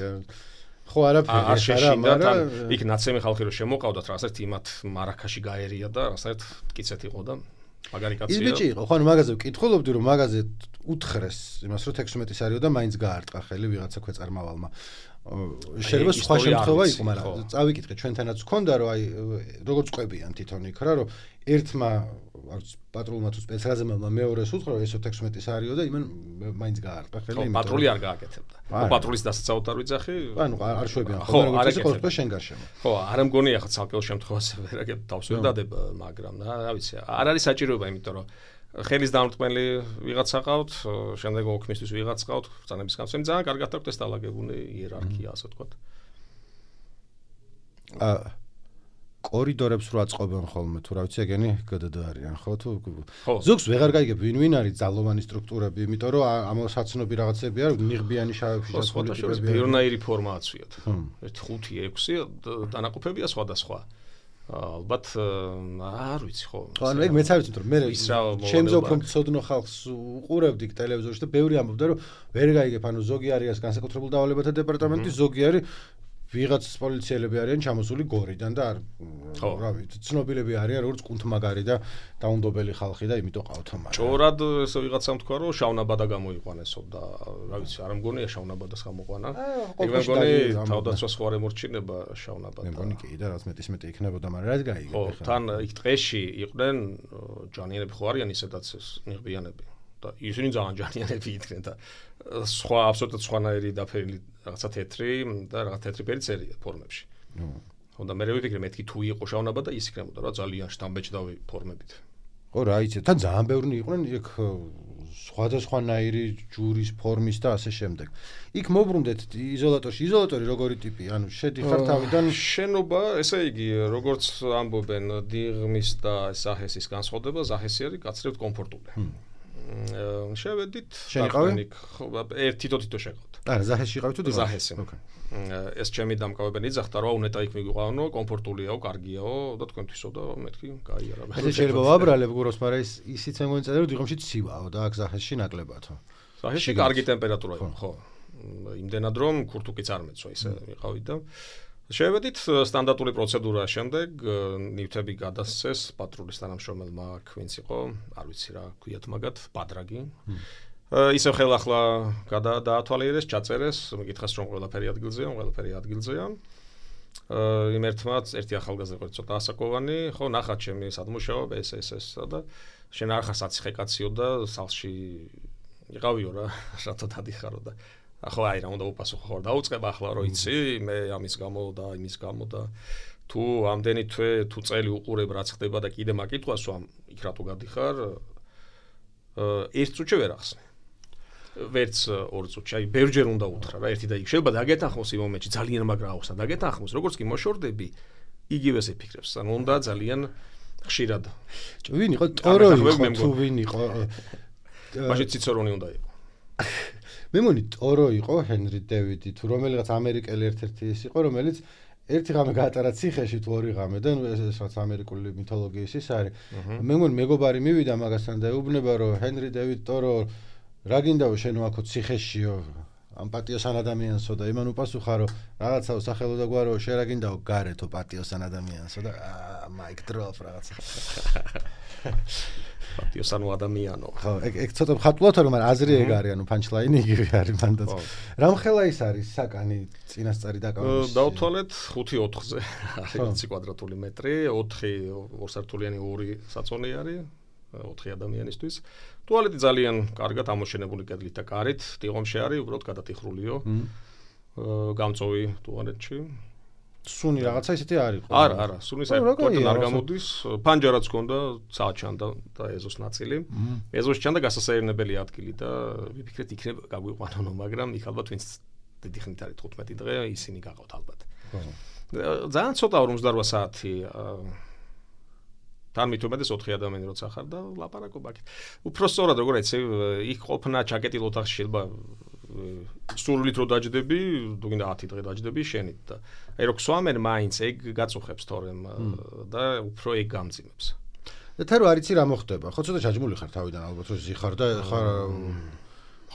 ხო, არაფერი არა, მაგრამ იქ ნაცემი ხალხი რომ შემოყავდათ რა, ასეთ იმათ მარაქაში გაერია და ასეთ კიცეთ იყო და მაგარი კაცია. ის ბიჭი იყო, ხო, მაგაზე ვკითხულობდი რომ მაგაზე უთხრეს იმას რომ თექვსმეტის არისო და მაინც გაარტყა ხელი ვიღაცა ქვეწარმავალმა. შეიძლება სხვა შემთხვევა იყო, მაგრამ წავიკითხე ჩვენთანაც გქონდა რომ აი როგორც ყვებიან თვითონ იქ რა რომ ერთმა პატრულმა თუ სპეცრაზემმა მეორეს უთხრა რომ ესო თექვსმეტის არისო და იმან მაინც გაარტყა ხელი. ხო, პატრული არ გააკეთებდა. ხო, პატრულის დასაცავად არ ვიძახი. ანუ არ შვებიან ხო, როგორც ის ყოველთვის შენ გარშემო. ხო, არ ამგონია ხა ცალკეულ შემთხვევაში ვერაგებ თავს ვერ დადება, მაგრამ რა ვიცი, არ არის საჭიროება, იმიტომ რომ ხელის დამრტყმელი ვიღაცა ყავთ, შემდეგ ოქმისთვის ვიღაც ყავთ, ბრძანების გამცემი ძალიან კარგად აქვს ეს დალაგებული იერარქია, ასე ვთქვათ. აა კორიდორებს რო აწყობენ ხოლმე, თუ რა ვიცი, ეგენი გდდ არიან, ხო თუ ზოგს ვეღარ გაიგებ ვინ ვინ არის ძალოვანი სტრუქტურები, იმიტომ რომ ამოსაცნობი რაღაცები არის, ნიღბიანი შავებში დასხული ტიპები. ბერნაირი ფორმა აცვიათ. ერთი ხუთი ექვსი დანაყოფებია სხვადასხვა. ალბათ არ ვიცი ხო. ხო, ანუ ეგ მეც არ ვიცი, რომ მე ჩემზე უფრო მწოდნო ხალხს უყურებდი ტელევიზორში და ბევრი ამბობდა, რომ ვერ გაიგებ, ანუ ზოგი არის განსაკუთრებულ დავალებათა დეპარტამენტი, ზოგი არის ვიღაც პოლიციელები არიან ჩამოსული გორიდან და არ რავი, ცნობილები არიან როგორც კუნთმაგარი და დაუნდობელი ხალხი და იმიტომ ყავთ მაგრამ. ჭორად ესე ვიღაცამ თქვა რომ შავნაბადა გამოიყვანესო და რა ვიცი, არ მგონია შავნაბადას გამოყვანა. ეგ მე მგონი თავდაცვას ხო არ ემორჩინება შავნაბადა. მე მგონი კი და რაც მეტის მეტი იქნებოდა, მაგრამ რაც გაიგებ ხო, თან იქ ტყეში იყვნენ ჯანიანები ხო არიან ისედაც ნიღბიანები. და ისინი ძალიან ჯანიანები იდგნენ და სხვა აბსოლუტურად სხვანაირი დაფერილი რაღაცა თეთრი და რაღაც თეთრი ფერი წერია ფორმებში. ნუ ხო და მე ვიფიქრე მეთქი თუ იყო შავნაბადა ის იქნებოდა რა ძალიან შთამბეჭდავი ფორმებით. ხო რა იცი, თან ძალიან ბევრი იყვნენ იქ სხვადასხვანაირი ჯურის ფორმის და ასე შემდეგ. იქ მოbrunდეთ იზოლატორში, იზოლატორი როგორი ტიპი, ანუ შედიხარ თავიდან შენობა, ესე იგი, როგორც ამბობენ დიღმის და საჰესის განსხვავდება, ზაჰესი არის გაცრევთ კომფორტული. შევედით შენიყავი? ხო, ერთი თითო შეყავთ. არა, ზაჰესში იყავით თუ დიღმაში? ზაჰესი. ეს ჩემი დამკავებელი ძახთა რა უნეტა იქ მიგვიყვანო, კომფორტულიაო, კარგიაო და თქვენთვისო და მეთქი გაიარა. ეს შეიძლება ვაბრალებ გუროს, მაგრამ ის ისიც მე მგონი წერდა რომ დიღმში ცივაო და აქ ზაჰესში ნაკლებათო. ზაჰესში კარგი ტემპერატურა იყო, ხო. იმდენად რომ ქურთუკიც არ მეცვა, ისე ვიყავით და შევედით სტანდარტული პროცედურა შემდეგ ნივთები გადასცეს პატრულის თანამშრომელმა აქ ვინც იყო, არ ვიცი რა ქვიათ მაგათ, ბადრაგი. ისევ ხელახლა გადაათვალიერეს, ჩაწერეს, მეკითხეს რომ ყველაფერი ადგილზეა, ყველაფერი ადგილზეა. იმ ერთმაც ერთი ახალგაზრდა იყო ცოტა ასაკოვანი, ხო, ნახა ჩემი სადმუშაობ ეს ეს ეს და შენ არ ხარ საციხე კაციო და სახლში იყავიო რა, რატო დადიხარო და ახლა აი რა უნდა უპასუხო ხარ დაუწყება ახლა რო იცი მე ამის გამო და იმის გამო და თუ ამდენი თვე თუ წელი უყურებ რაც ხდება და კიდე მაკითხვას ვამ იქ რატო გადიხარ ერთ წუთში ვერ ახსნე ვერც ორ წუთში აი ბევრჯერ უნდა უთხრა რა ერთი და იქ შეიძლება დაგეთანხმოს იმ მომენტში ძალიან მაგრა ახსნა დაგეთანხმოს როგორც კი მოშორდები იგივეს ეფიქრებს ანუ უნდა ძალიან ხშირად ვინ იყო ტორო იყო თუ ვინ იყო მაშინ ციცორონი უნდა იყო მე მგონი ტორო იყო ჰენრი დევიდი თუ რომელიღაც ამერიკელი ერთ-ერთი ის იყო რომელიც ერთი ღამე გაატარა ციხეში თუ ორი ღამე და ეს რაც ამერიკული მითოლოგიის ის არის მე მგონი მეგობარი მივიდა მაგასთან და ეუბნება რომ ჰენრი დევიდ ტორო რა გინდაო შენ ვაქო ციხეშიო ამ პატიოსან ადამიანსო და იმან უპასუხა რომ რაღაცაო სახელო და გვარო შენ რა გინდაო გარეთო პატიოსან ადამიანსო და მაიკ დროპ რაღაცა პატიოსანო ადამიანო ხო ეგ ეგ ცოტა ხატულათა რომ აზრი ეგ არის ანუ პანჩლაინი იგივე არის მანდაც რამხელა ის არის საკანი წინასწარი დაკავების დავთვალეთ ხუთი ოთხზე არის კვადრატული მეტრი ოთხი ორსართულიანი ორი საწოლი არის ოთხი ადამიანისთვის ტუალეტი ძალიან კარგად ამოშენებული კედლით და კარით დიღომში არის უბრალოდ გადატიხრულიო გამწოვი ტუალეტში სუნი რაღაცა ისეთი არის ხო? არა, არა, სუნი საერთოდ არ გამოდის. ფანჯარაც ჰქონდა, საჩანდა და ეზოს ნაწილი. ეზოს ჩანდა გასასაირნებელი ადგილი და ვიფიქრეთ იქნებ გაგვიყვანონო, მაგრამ იქ ალბათ ვინც დიდი ხნით არის თხუთმეტი დღე, ისინი გაღავთ ალბათ. ძალიან ცოტა ორმოცდარვა საათი თან მithumedes ოთხი ადამიანი როცა ხარ და ლაპარაკობ აქ. უფრო სწორად როგორ ეცე იქ ყოფნა ჩაკეტილ ოთახში შეიძლება სულით რო დაждები, თუ გინდა ათი დღე დაждები შენით და აი რო ქსვამენ მაინც ეგ გაწუხებს თორემ და უფრო ეგ გამძიმებს. და თან რო არიცი რა მოხდება, ხო ცოტა ჩაჯმული ხარ თავიდან ალბათ რო ზიხარ და ხარ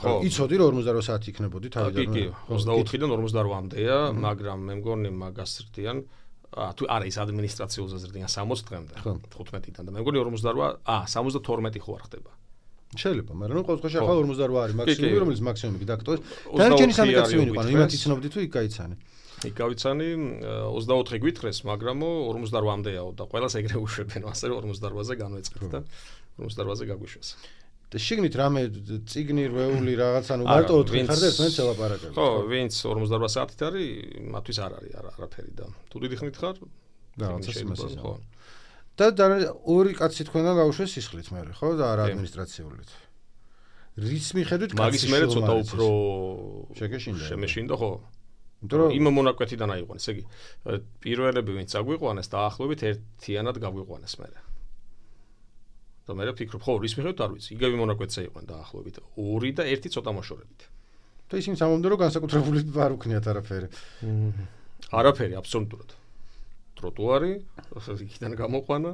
ხო იცოდი რომ ორმოცდარვა საათი იქნებოდი თავიდან. კი, ოცდაოთხიდან ორმოცდარვამდეა, მაგრამ მე მგონი მაგას ზრდიან ა თუ არა ის ადმინისტრაციულზე ზრდიან სამოცი დღემდე თხუთმეტიდან და მე მგონი ორმოცდარვა ა სამოცდათორმეტი ხო არ ხდება. შეიძლება, მაგრამ ნუ ყოველთვის ახლა ორმოცდარვა არის მაქსიმუმი, რომელიც მაქსიმუმი დაგტოვეს. დანარჩენი სამი კაცი ვინ იყო, იმათ იცნობდი თუ იქ გაიცანი. იქ გავიცანი ოცდაოთხი გვითხრეს, მაგრამ ორმოცდარვამდეაო და ყველას ეგრე უშვებენ, ასე რომ ორმოცდარვაზე განვეწყეთ და ორმოცდარვაზე გაგვიშვეს. და შიგნით რამე ციგნი რვეული რაღაც ანუ მარტო ოთხი ხარ და ერთმანეთს ელაპარაკებთ. ხო, ვინც ორმოცდარვა საათით არის, მათთვის არ არის არაფერი და თუ დიდი ხნით ხარ, რაღაცა სიმასის ხო. და ორი კაცი თქვენგან გავუშვეს სისხლით მერე, ხო და არა ადმინისტრაციულით. რის მიხედვით კაცი მაგის მერე ცოტა უფრო შეგეშინდა. შემეშინდა ხო? იმ მონაკვეთიდან აიყვანეს, ეგ პირველები ვინც აგვიყვანეს დაახლოებით ერთიანად გაგვიყვანეს მერე. და მე ვფიქრობ, ხო, რის მიხედვით არ ვიცი, იგივე მონაკვეთზე იყვნენ დაახლოებით ორი და ერთი ცოტა მოშორებით. და ისინი სამომდე რომ განსაკუთრებული არ უქნიათ არაფერი. არაფერი აბსოლუტურად. ტროტუარი, იქიდან გამოყვანა.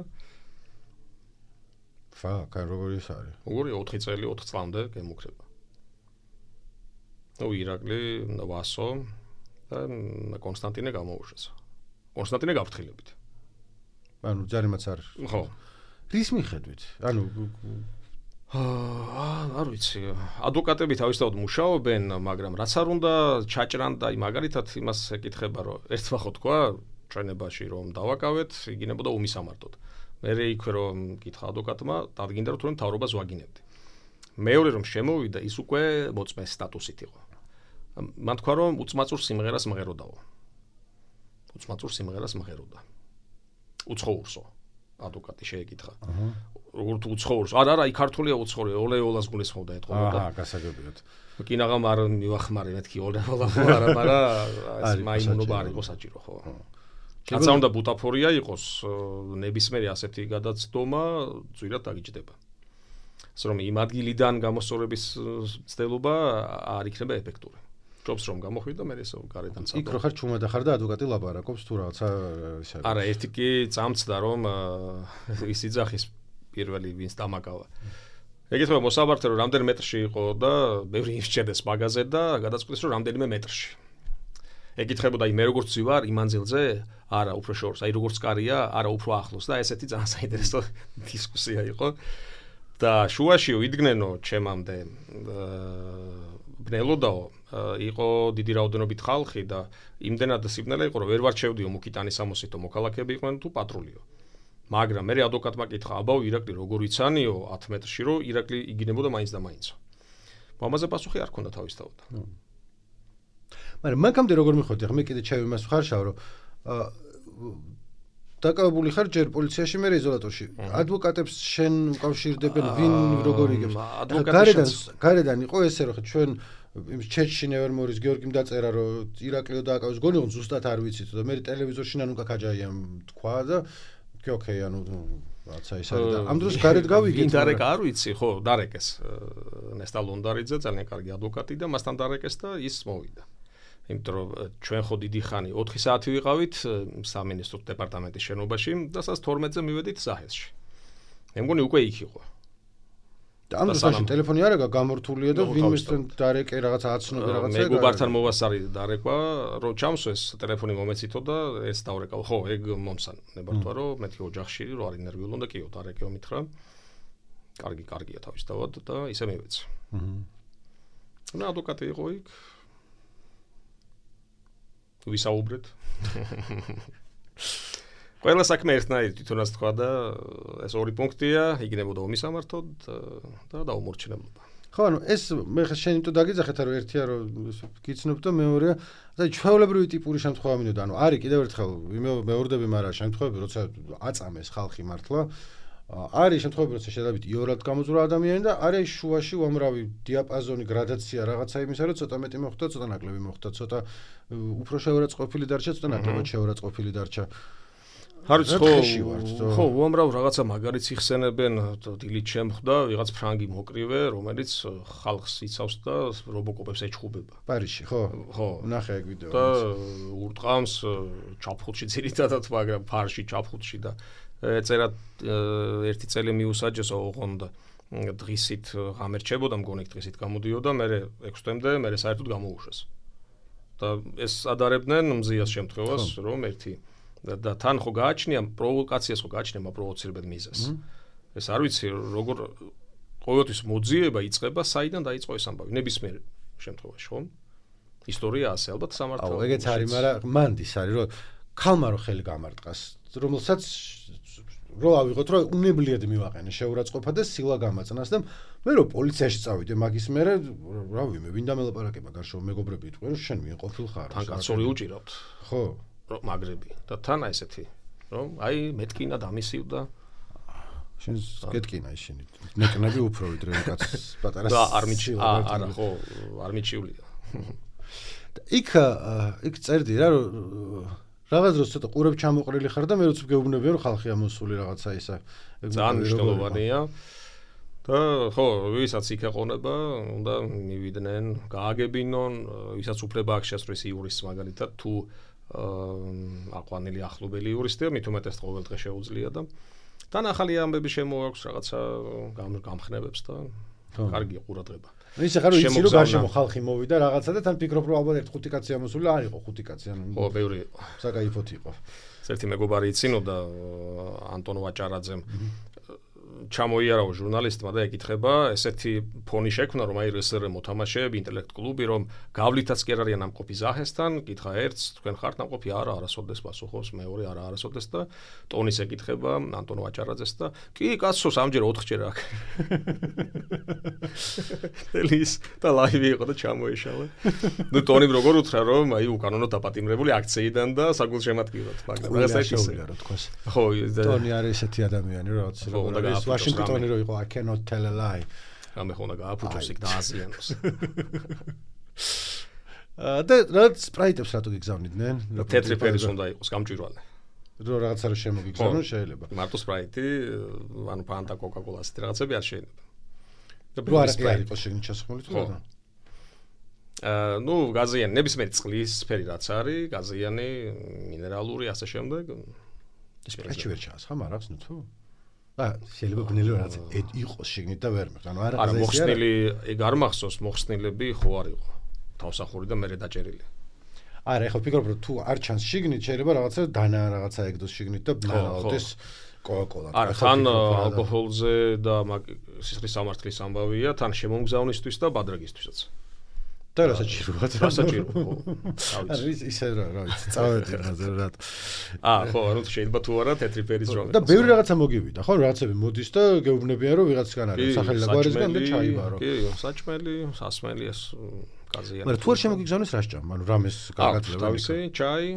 ფა, კაი როგორი ის არის? როგორი ოთხი წელი ოთხ წლამდე გემუქრება. ნუ ირაკლი, ვასო და კონსტანტინე გამოუშვეს. კონსტანტინე გავფრთხილებით. ანუ ჯარიმაც არ. ხო. რის მიხედვით? ანუ აა არ ვიცი. ადვოკატები თავისთავად მუშაობენ, მაგრამ რაც არ უნდა ჩაჭრან და მაგალითად იმას ეკითხება, რომ ერთმა ხო თქვა ჩვენებაში რომ დავაკავეთ, იგინებოდა უმისამართოდ. მე იქვე რომ კითხა ადვოკატმა, დადგინდა რომ თუნდაც მთავრობას ვაგინებდი. მეორე რომ შემოვიდა, ის უკვე მოწმეს სტატუსით იყო. მან თქვა რომ უწმაწურ სიმღერას მღეროდაო. უწმაწურ სიმღერას მღეროდა. უცხოურსო. ადვოკატი შეეკითხა. აჰა. როგორ თუ უცხოურს? არა, არა, იქ ქართულია უცხოური, ოლეოლას გულისხმობდა ეთყობოდა. აჰა, გასაგებიათ. კინაღამ არ მივახმარე მეთქი ოლეოლა ხო არა, მაგრამ ეს მაიმუნობა არ იყო საჭირო, ხო. კაცსა უნდა ბუტაფორია იყოს, ნებისმიერი ასეთი გადაცდომა ძვირად დაგიჭდება. ასე რომ იმ ადგილიდან გამოსწორების ცდელობა არ იქნება ეფექტური. ჯობს რომ გამოხვიდე მე ესო გარედან წავ. იქ რო ხარ ჩუმად ახარ და ადვოკატი ლაპარაკობს თუ რაღაცა ისე. არა, ერთი კი წამწდა რომ ის იძახის პირველი ვინც დამაკავა. ეკითხება მოსაბართე რომ რამდენი მეტრში იყო და ბევრი იმსჭერდეს მაგაზე და გადაწყვიტეს რომ რამდენიმე მეტრში. ეკითხებოდა აი მე როგორც ვარ იმ მანძილზე? არა, უფრო შორს, აი როგორც კარია, არა უფრო ახლოს და ესეთი ძალიან საინტერესო დისკუსია იყო. და შუაში ვიდგნენო ჩემამდე ბნელოდაო იყო დიდი რაოდენობით ხალხი და იმდენად სიბნელე იყო რომ ვერ ვარჩევდიო მუქიტანის სამოსითო მოქალაქეები იყვნენ თუ პატრულიო. მაგრამ მე ადვოკატმა კითხა, აბაო ირაკლი როგორ იცანიო ათ მეტრში რომ ირაკლი იგინებოდა მაინც და მაინც. ამაზე პასუხი არ ქონდა თავისთავად. მაგრამ მაგამდე როგორ მიხვდი, მე კიდე ჩავი მას ხარშავ რომ დაკავებული ხარ ჯერ პოლიციაში მე იზოლატორში. ადვოკატებს შენ უკავშირდებენ ვინ როგორ იგებს? გარედან გარედან იყო ესე რომ ჩვენ იმ ჩეჩინევერმორის გიორგიმ დაწერა რომ ირაკლიო დააკავეს გონი რომ ზუსტად არ ვიცით და მე ტელევიზორში ნანუკა ქაჯაიამ თქვა და კი ოკეი ანუ რაცა ის არის და ამ დროს გარეთ გავიგეთ. ვინ დარეკა არ ვიცი, ხო, დარეკეს ნესტა ლონდარიძე ძალიან კარგი ადვოკატი და მასთან დარეკეს და ის მოვიდა. იმიტომ რომ ჩვენ ხო დიდი ხანი ოთხი საათი ვიყავით სამინისტრო დეპარტამენტის შენობაში და სასა თორმეტზე მივედით ზაჰესში. მე მგონი უკვე იქ იყო. და ამ დროს ტელეფონი არ აქვს გამორთულია და ვინმესთან დარეკე რაღაცა აცნობი რაღაცა ეგ. მეგობართან მოვასარი დარეკვა, რომ ჩამსვეს ტელეფონი მომეცითო და ეს დავრეკავ. ხო, ეგ მომსანებართვა რომ მეთქი ოჯახში რო არ ინერვიულ უნდა კიო დარეკეო მითხრა. კარგი, კარგია თავისთავად და ისე მივეცი. აჰა. და ადვოკატი იყო იქ. ვისაუბრეთ. ყველა საქმე ერთნაირი თვითონაც თქვა და ეს ორი პუნქტია, იგინებოდა უმისამართოდ და დაუმორჩილებლობა. ხო, ანუ ეს მე შენ თუ დაგიძახეთ რომ ერთია რომ გიცნობ და მეორეა, და ჩვეულებრივი ტიპური შემთხვევა მინდოდა, ანუ არის კიდევ ერთხელ მეორდები, მაგრამ შემთხვევები როცა აწამეს ხალხი მართლა არის შემთხვევები როცა შედავით იორად გამოძვრა ადამიანი და არის შუაში უამრავი დიაპაზონი გრადაცია რაღაცა იმისა რომ ცოტა მეტი მოხდა, ცოტა ნაკლები მოხდა, ცოტა უფრო შეურაცხყოფილი დარჩა, ცოტა ნაკლებად შეურაცხყოფილი დარჩა. არ ვიცი ხო, ხო, უამრავ რაღაცა მაგარიც იხსენებენ, დილით შემხვდა ვიღაც ფრანგი მოკრივე, რომელიც ხალხს იცავს და რობოკოპებს ეჩხუბება. პარიზში, ხო? ხო. ნახე ეგ ვიდეო. და ურტყამს ჩაფხუტში ძირითადად, მაგრამ ფარში ჩაფხუტში და ეწერა ერთი წელი მიუსაჯეს ოღონდ დღისით გამერჩებოდა, მგონი დღისით გამოდიოდა, მე ექვს თვემდე, მე საერთოდ გამოუშვეს. და ეს ადარებდნენ მზიას შემთხვევას, რომ ერთი და თან ხო გააჩნია პროვოკაციას ხო გააჩნია პროვოცირებად მიზეზს. ეს არ ვიცი როგორ ყოველთვის მოძიება იწყება, საიდან დაიწყო ეს ამბავი, ნებისმიერ შემთხვევაში, ხო? ისტორია ასე ალბათ სამართალ. აუ, ეგეც არის, მაგრამ მანდის არის, რომ ქალმა რო ხელი გამარტყას, რომელსაც რო ავიღოთ, რომ უნებლიად მივაყენე შეურაცხყოფა და სილა გამაწნას და მე რო პოლიციაში წავიდე, მაგის მერე რა ვიმე, ვინ დამელაპარაკება გარშემო მეგობრები იტყვი, რომ შენ მიეყოფილ ხარ. თან კაცორი უჭირავთ. ხო. რომ მაგრები და თან ესეთი, რომ აი მეტკინა დამისივდა. შენ გეტკინა ისინი. ნეკნები უფრო ვიდრე კაცს პატარა. და არ მიჩიულა, არა ხო, არ მიჩიულია. იქ იქ წერდი რა რომ რაღაც დროს ცოტა ყურებ ჩამოყრილი ხარ და მე როც გეუბნებია რომ ხალხი ამოსული რაღაცა ისა. ძალიან მნიშვნელოვანია. და ხო, ვისაც იქ ეყონება, უნდა მივიდნენ, გააგებინონ, ვისაც უფლება აქვს შესწრის იურისტს მაგალითად თუ აყვანილი ახლობელი იურისტია, მით უმეტეს ყოველ დღე შეუძლია და თან ახალი ამბები შემოაქვს რაღაცა გამხნევებს და კარგია ყურადღება. ისე ხარ ვიცი რომ გარშემო ხალხი მოვიდა რაღაცა და თან ფიქრობ რომ ალბათ ერთ ხუთი კაცი ამოსული არ იყო ხუთი კაცი ანუ ხო ბევრი იყო საკაიფოთი იყო. ერთი მეგობარი იცინოდა ანტონ ვაჭარაძემ ჩამოიარაო ჟურნალისტმა და ეკითხება ესეთი ფონი შექმნა რომ აი რსრ მოთამაშეები ინტელექტ კლუბი რომ გავლითაც კი არ არიან ნამყოფი ზაჰესთან კითხა ერთს თქვენ ხართ ნამყოფი არა არასოდეს პასუხობს მეორე არა არასოდეს და ტონის ეკითხება ანტონ ვაჭარაძეს და კი კაცო სამჯერ ოთხჯერ აქ ელის და ლაივი იყო და ჩამოეშალა ნუ ტონიმ როგორ უთხრა რომ აი უკანონოდ დაპატიმრებული აქციიდან და საგულშემატკივრად მაგრამ ეს ისე რა თქოს ხო ტონი არის ესეთი ადამიანი რა ვაშინგტონი რო იყო I cannot tell a lie. რამე ხონა გააფუჭოს იქ და აზიანოს. და რაც სპრაიტებს რატო გიგზავნიდნენ? თეთრი ფერის უნდა იყოს გამჭვირვალე. რო რაღაცა რო შემოგიგზავნონ შეიძლება. მარტო სპრაიტი, ანუ ფანტა, კოკა-კოლა ასეთი რაღაცები არ შეიძლება. და რო არ არის შეგნით ჩასხმული თუ რა? აა, ნუ გაზიანი, ნებისმიერი წყლის სფერი რაც არის, გაზიანი, მინერალური ასე შემდეგ. სპრაიტი ვერ ჩასხა, მარავს ნუ თუ? აა, შეიძლება ბნელი რაღაც იყოს შეგნით და ვერ მეხ. ანუ არ არა მოხსნილი, ეგ არ მახსოვს, მოხსნილები ხო არ იყო. თავსახური და მე დაჭერილი. არა, ეხლა ვფიქრობ, რომ თუ არ ჩანს შიგნით, შეიძლება რაღაცა დანა რაღაცა ეგდოს შიგნით და ბნაუდეს კოკა-კოლა. არა, თან ალკოჰოლზე და სისხლის სამართლის ამბავია, თან შემომგზავნისთვის და ბადრაგისთვისაც. და რასაჭიროა? რასაჭიროა. არა, ისე რა, რა ვიცი, წავედი მაგაზე რა. აა, ხო, ანუ შეიძლება თუ არა თეთრი ფერის ჯომი. და ბევრი რაღაცა მოგივიდა, ხო? რაღაცები მოდის და გეუბნებიან, რომ ვიღაცგან არის სახელი და გვარისგან და ჩაიბარო. კი, საჭმელი, სასმელი ეს გაზიანი. მაგრამ თუ არ შემოგიგზავნეს რა სჭამ? ანუ რამეს გაგაძლევ. თავისი ჩაი,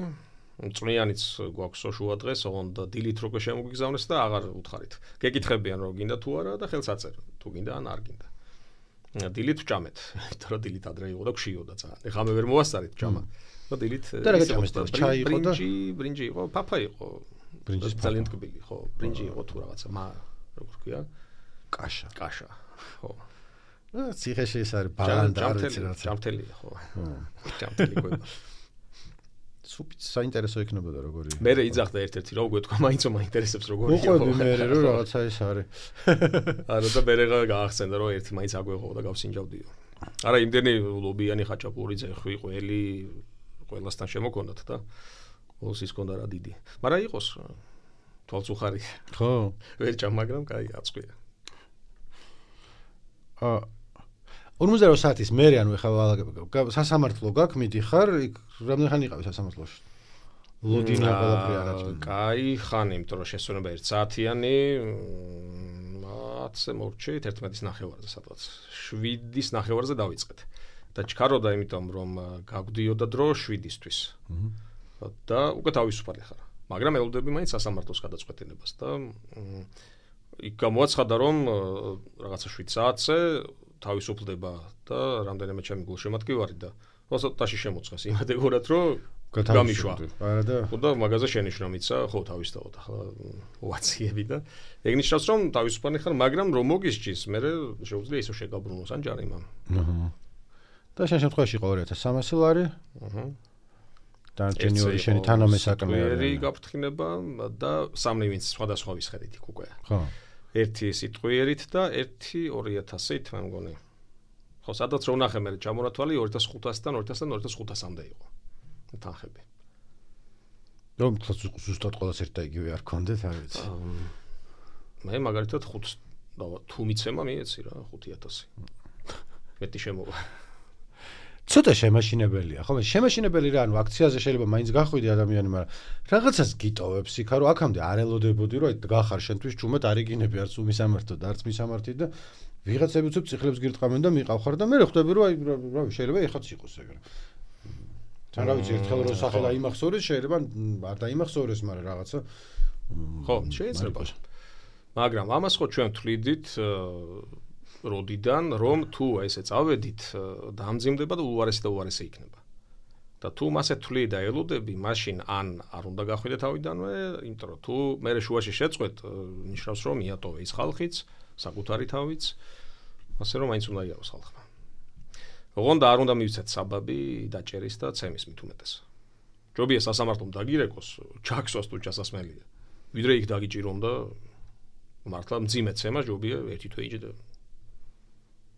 წვნიანიც გვაქვს შუა დღეს, ოღონდ დილით რო შემოგიგზავნეს და აღარ უთხარით. გეკითხებიან რომ გინდა თუ არა და ხელს აწერ, თუ გინდა ან არ გინდა. დილით ვჭამეთ, იმიტომ რომ დილით ადრე იყო და გშიოდა ძალიან. ეხლა მე ვერ მოვასწარით ჭამა. და დილით და რა გაჭამეს და ჩაი იყო და ბრინჯი, ბრინჯი იყო, ფაფა იყო. ბრინჯის ძალიან ტკბილი, ხო, ბრინჯი იყო თუ რაღაცა, მა როგორ ქვია? კაშა. კაშა. ხო. და ციხეში ეს არის ბალანდა არ ვიცი რა. ჯამთელია, ხო. ჯამთელი ყובה. სუპიც საინტერესო იქნებოდა როგორი. მე იძახდა ერთ-ერთი რა უგვეთქვა, მაინც მაინტერესებს როგორი იყო. უყვები მე რომ რაღაცა ეს არის. არა და მე რა გაახსენდა რომ ერთი მაინც აგვეღო და გავსინჯავდიო. არა იმდენი ლობიანი ხაჭაპური ძეხვი ყველი ყველასთან შემოქონდათ და ყველს ის ქონდა რა დიდი. მაგრამ იყოს თვალწუხარი. ხო. ვერ ჭამ, მაგრამ კაი აწყვია. აა ორმოცდაოთხ საათის მერე ანუ ეხლა სასამართლო გაქვს მიდიხარ იქ რამდენი ხანი იყავი სასამართლოში ლოდინა ყველაფერი არაჭი კაი ხანი იმიტომ რომ შესვენება ერთ საათიანი ათზე მორჩით ერთმეტის ნახევარზე სადღაც შვიდის ნახევარზე დავიწყეთ და ჩქაროდა იმიტომ რომ გაგვდიოდა დრო შვიდისთვის და უკვე თავისუფალი ხარ მაგრამ ელოდები მაინც სასამართლოს გადაწყვეტილებას და იქ გამოაცხადა რომ რაღაცა შვიდ საათზე თავისუფლდება და რამდენიმე ჩემი გულშემატკივარი და ოცდაში შემოწეს იმედეგურად რომ გამიშვა. არა და ხო და მაგაზე შენიშნა მიცა, ხო თავისთავად ახლა ვაციები და ეგ ნიშნავს რომ თავისუფალი ხარ, მაგრამ რომ მოგისჯის, მე შეუძლია ისო შეგაბრუნოს ან ჯარიმა. აჰა. და შენ შემთხვევაში იყო ორი ათას სამასი ლარი. აჰა. დანარჩენი ორი შენი თანამესაკმე არის. გაფრთხილება და სამი ვინც სხვადასხვა ვისხედით იქ უკვე. ხო. ერთი სიტყვიერით და ერთი ორი ათასით მე მგონი. ხო, სადაც რო ნახე მე ჩამორათვალი ორი ათას ხუთასიდან ორი ათასიდან ორი ათას ხუთასამდე იყო. თანხები. რომ ზუსტად ყველას ერთ და იგივე არ გქონდეთ, არ ვიცი. მე მაგალითად ხუთს თუ მიცემა მიეცი რა ხუთი ათასი. მეტი შემოვა. ცოტა შემაშინებელია, ხო? შემაშინებელი რა, ანუ აქციაზე შეიძლება მაინც გახვიდე ადამიანი, მაგრამ რაღაცას გიტოვებს იქ, რომ აქამდე არ ელოდებოდი, რომ აი გახარ შენთვის ჭუმეთ არ იგინები არც უმისამართო და არც მისამართი და ვიღაცები უცებ ციკლებს გირტყამენ და მიყავხარ და მე ხვდები, რომ აი რა შეიძლება ეხაც იყოს ეგრე. თან რა ვიცი, ერთხელ რო სახე დაიმახსოვრეს, შეიძლება არ დაიმახსოვრეს, მაგრამ რაღაცა ხო, შეიძლება. მაგრამ ამას ხო ჩვენ თვლიდით როდიდან რომ თუ ესე წავედით დამძიმდება და უარესი და უარესი იქნება. და თუ მასე თვლი და ელოდები, მაშინ ან არ უნდა გახვიდე თავიდანვე, იმიტომ რომ თუ მე შუაში შეწყვეთ, ნიშნავს რომ მიატოვე ის ხალხიც, საკუთარი თავიც, ასე რომ მაინც უნდა იაროს ხალხმა. ოღონდ არ უნდა მივცეთ საბაბი დაჭერის და ცემის მით უმეტეს. ჯობია სასამართლომ დაგირეკოს, ჩაქსვას თუ ჩასასმელია. ვიდრე იქ დაგიჭირონ და მართლა მძიმე ცემა ჯობია ერთი თვე იჯდა.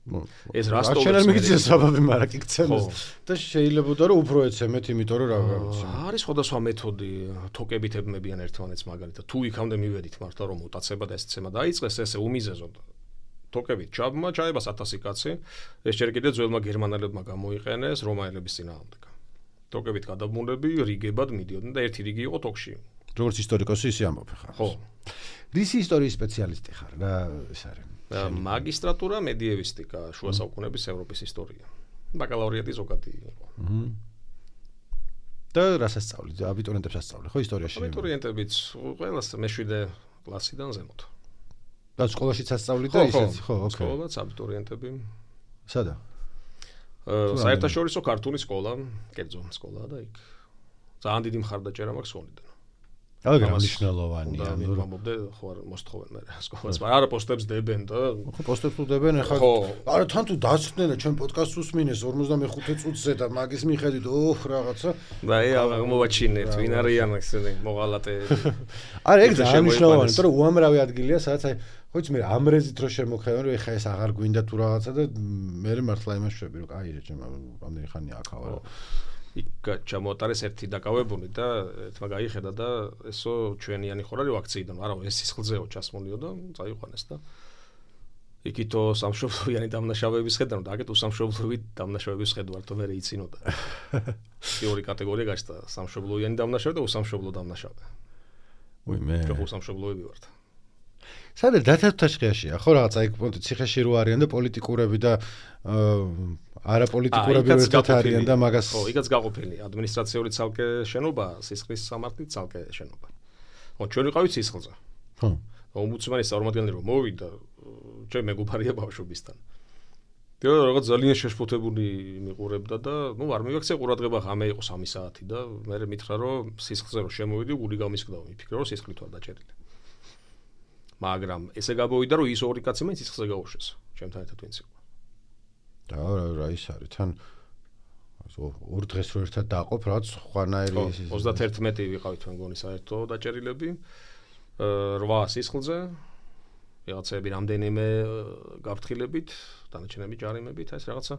ეს რასტოვი არ მიგიწევს საბაბი, მაგრამ კი გცემს და შეიძლება რომ უფრო ეცემეთ, იმიტომ რომ რა ვიცი. არის სხვადასხვა მეთოდი, თოკებით ებმებიან ერთმანეთს მაგალითად. თუ იქამდე მივედით მართლა რომ მუტაცება და ეს ცემა დაიწყეს, ესე უმიზეზოდ თოკებით ჩაბმა ჩაებას ათასი კაცი, ეს ჯერ კიდევ ძველმა გერმანელებმა გამოიყენეს რომაელების წინააღმდეგ. თოკებით გადაბმულები რიგებად მიდიოდნენ და ერთი რიგი იყო თოკში. როგორც ისტორიკოსი ისე ამბობ ხარ. ხო. რისი ისტორიის სპეციალისტი ხარ? რა ეს არის? მაგისტრატურა მედიევისტიკა, შუა საუკუნეების ევროპის ისტორია. ბაკალავრიატი ზოგადი იყო. აჰა. და რას ასწავლით? აბიტურიენტებს ასწავლე, ხო ისტორიაში? აბიტურიენტებიც ყველას მეშვიდე კლასიდან ზემოთ. და სკოლაშიც ასწავლით და ისეც, ხო, ოკეი. სკოლაც აბიტურიენტები. სადა? საერთაშორისო ქართული სკოლა, კერძო სკოლა და იქ ძალიან დიდი მხარდაჭერა მაქვს სკოლიდან. აგრა მნიშვნელოვანია. ანუ მომობდე ხო არ მოსთხოვენ მე სკოლას, მაგრამ არა პოსტებს დებენ და ხო პოსტებს უდებენ ახლა. არა თან თუ დასწრდნენ და ჩვენ პოდკასტს უსმინეს ორმოცდამეხუთე წუთზე და მაგის მიხედვით ოხ რაღაცა. და აი მოვაჩინეთ, ვინ არიან ესენი მოღალატეები. არა ეგ ძალიან მნიშვნელოვანია, იმიტომ რომ უამრავი ადგილია, სადაც აი ხო იცი მე ამრეზით რო შემოხევენ, რომ ეხა ეს აღარ გვინდა თუ რაღაცა და მე მართლა იმას შვები, რომ აი რა ჩემ ამდენი ხანია აქ ავარ. იქ ჩამოატარეს ერთი დაკავებული და ერთმა გაიხედა და ესო ჩვენიანი ხარ არის აქციიდან, არა ეს სისხლზეო ჩასმოლიო და წაიყვანეს და იქითო სამშობლოიანი დამნაშავეების ხედავ და აქეთ უსამშობლოები დამნაშავეების ხედავ მე რეიცინოდა. ორი კატეგორია გაჩნდა, სამშობლოიანი დამნაშავე და უსამშობლო დამნაშავე. უი მე ჯო უსამშობლოები ვართ. სადაც დათათაშხეაშია, ხო რაღაცა იქ ციხეში რო არიან და პოლიტიკურები და არაპოლიტიკურები ერთად არიან და მაგას ხო, იქაც გაყოფილი ადმინისტრაციული ცალკე შენობა, სისხლის სამართლის ცალკე შენობა. ხო, ჩვენ ვიყავით სისხლზე. ხო. ომბუდსმენის წარმომადგენელი რომ მოვიდა, ჩვენ მეგობარია ბავშვობისთან. და რაღაც ძალიან შეშფოთებული მიყურებდა და ნუ არ მივაქცია ყურადღება, ღამე იყო სამი საათი და მე მითხრა რომ სისხლზე რომ შემოვიდი, გული გამისკდა, მიფიქრე რომ სისხლით ვარ დაჭერილი. მაგრამ ესე გამოვიდა რომ ის ორი კაცი მაინც სისხლზე გაუშვეს, ჩემთან ერთად ვინც იყო. და რა ის არის თან ორ დღეს რო ერთად დააყოფ რაღაც ხვანაერი ოცდაათი ვიყავით თქვენ გონი საერთო დაჭერილები რვა სისხლზე რაღაცები რამდენიმე გაფრთხილებით დანარჩენები ჯარიმებით ეს რაღაცა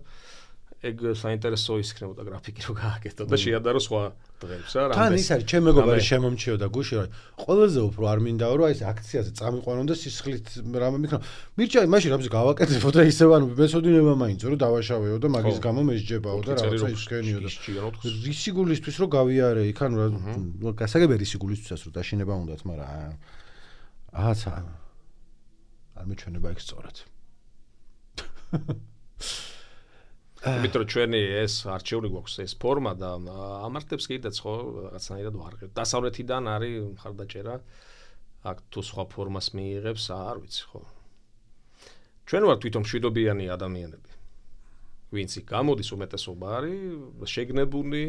ეგ საინტერესო ისქნებოდა გრაფიკი რო გააკეთო და შეადარო სხვა დღეებს რა თან ის არის ჩემ მეგობარი შემომჩიოდა გუში რომ ყველაზე უფრო არ მინდაო რომ აი ეს აქციაზე წამიყვანონ და სისხლით რამე მიქნა მირჩა მაშინ რამზე გავაკეთებო და ისევ ანუ მესოდინება მაინც რომ დავაშავეო და მაგის გამო მესჯებაო და რაღაცა ისქენიო და რისი გულისთვის რომ გავიარე იქ ანუ რა გასაგებია რისი გულისთვისაც რომ დაშინება უნდათ მაგრამ ააცა არ მეჩვენება იქ სწორად მეტრო ჩვენი ეს არჩეული გვაქვს ეს ფორმა და ამართებს კიდეც ხო რაღაცნაირად ვარღებ. დასავლეთიდან არის მხარდაჭერა აქ თუ სხვა ფორმას მიიღებს არ ვიცი ხო. ჩვენ ვართ თვითონ მშვიდობიანი ადამიანები. ვინც იქ გამოდის უმეტესობა არის შეგნებული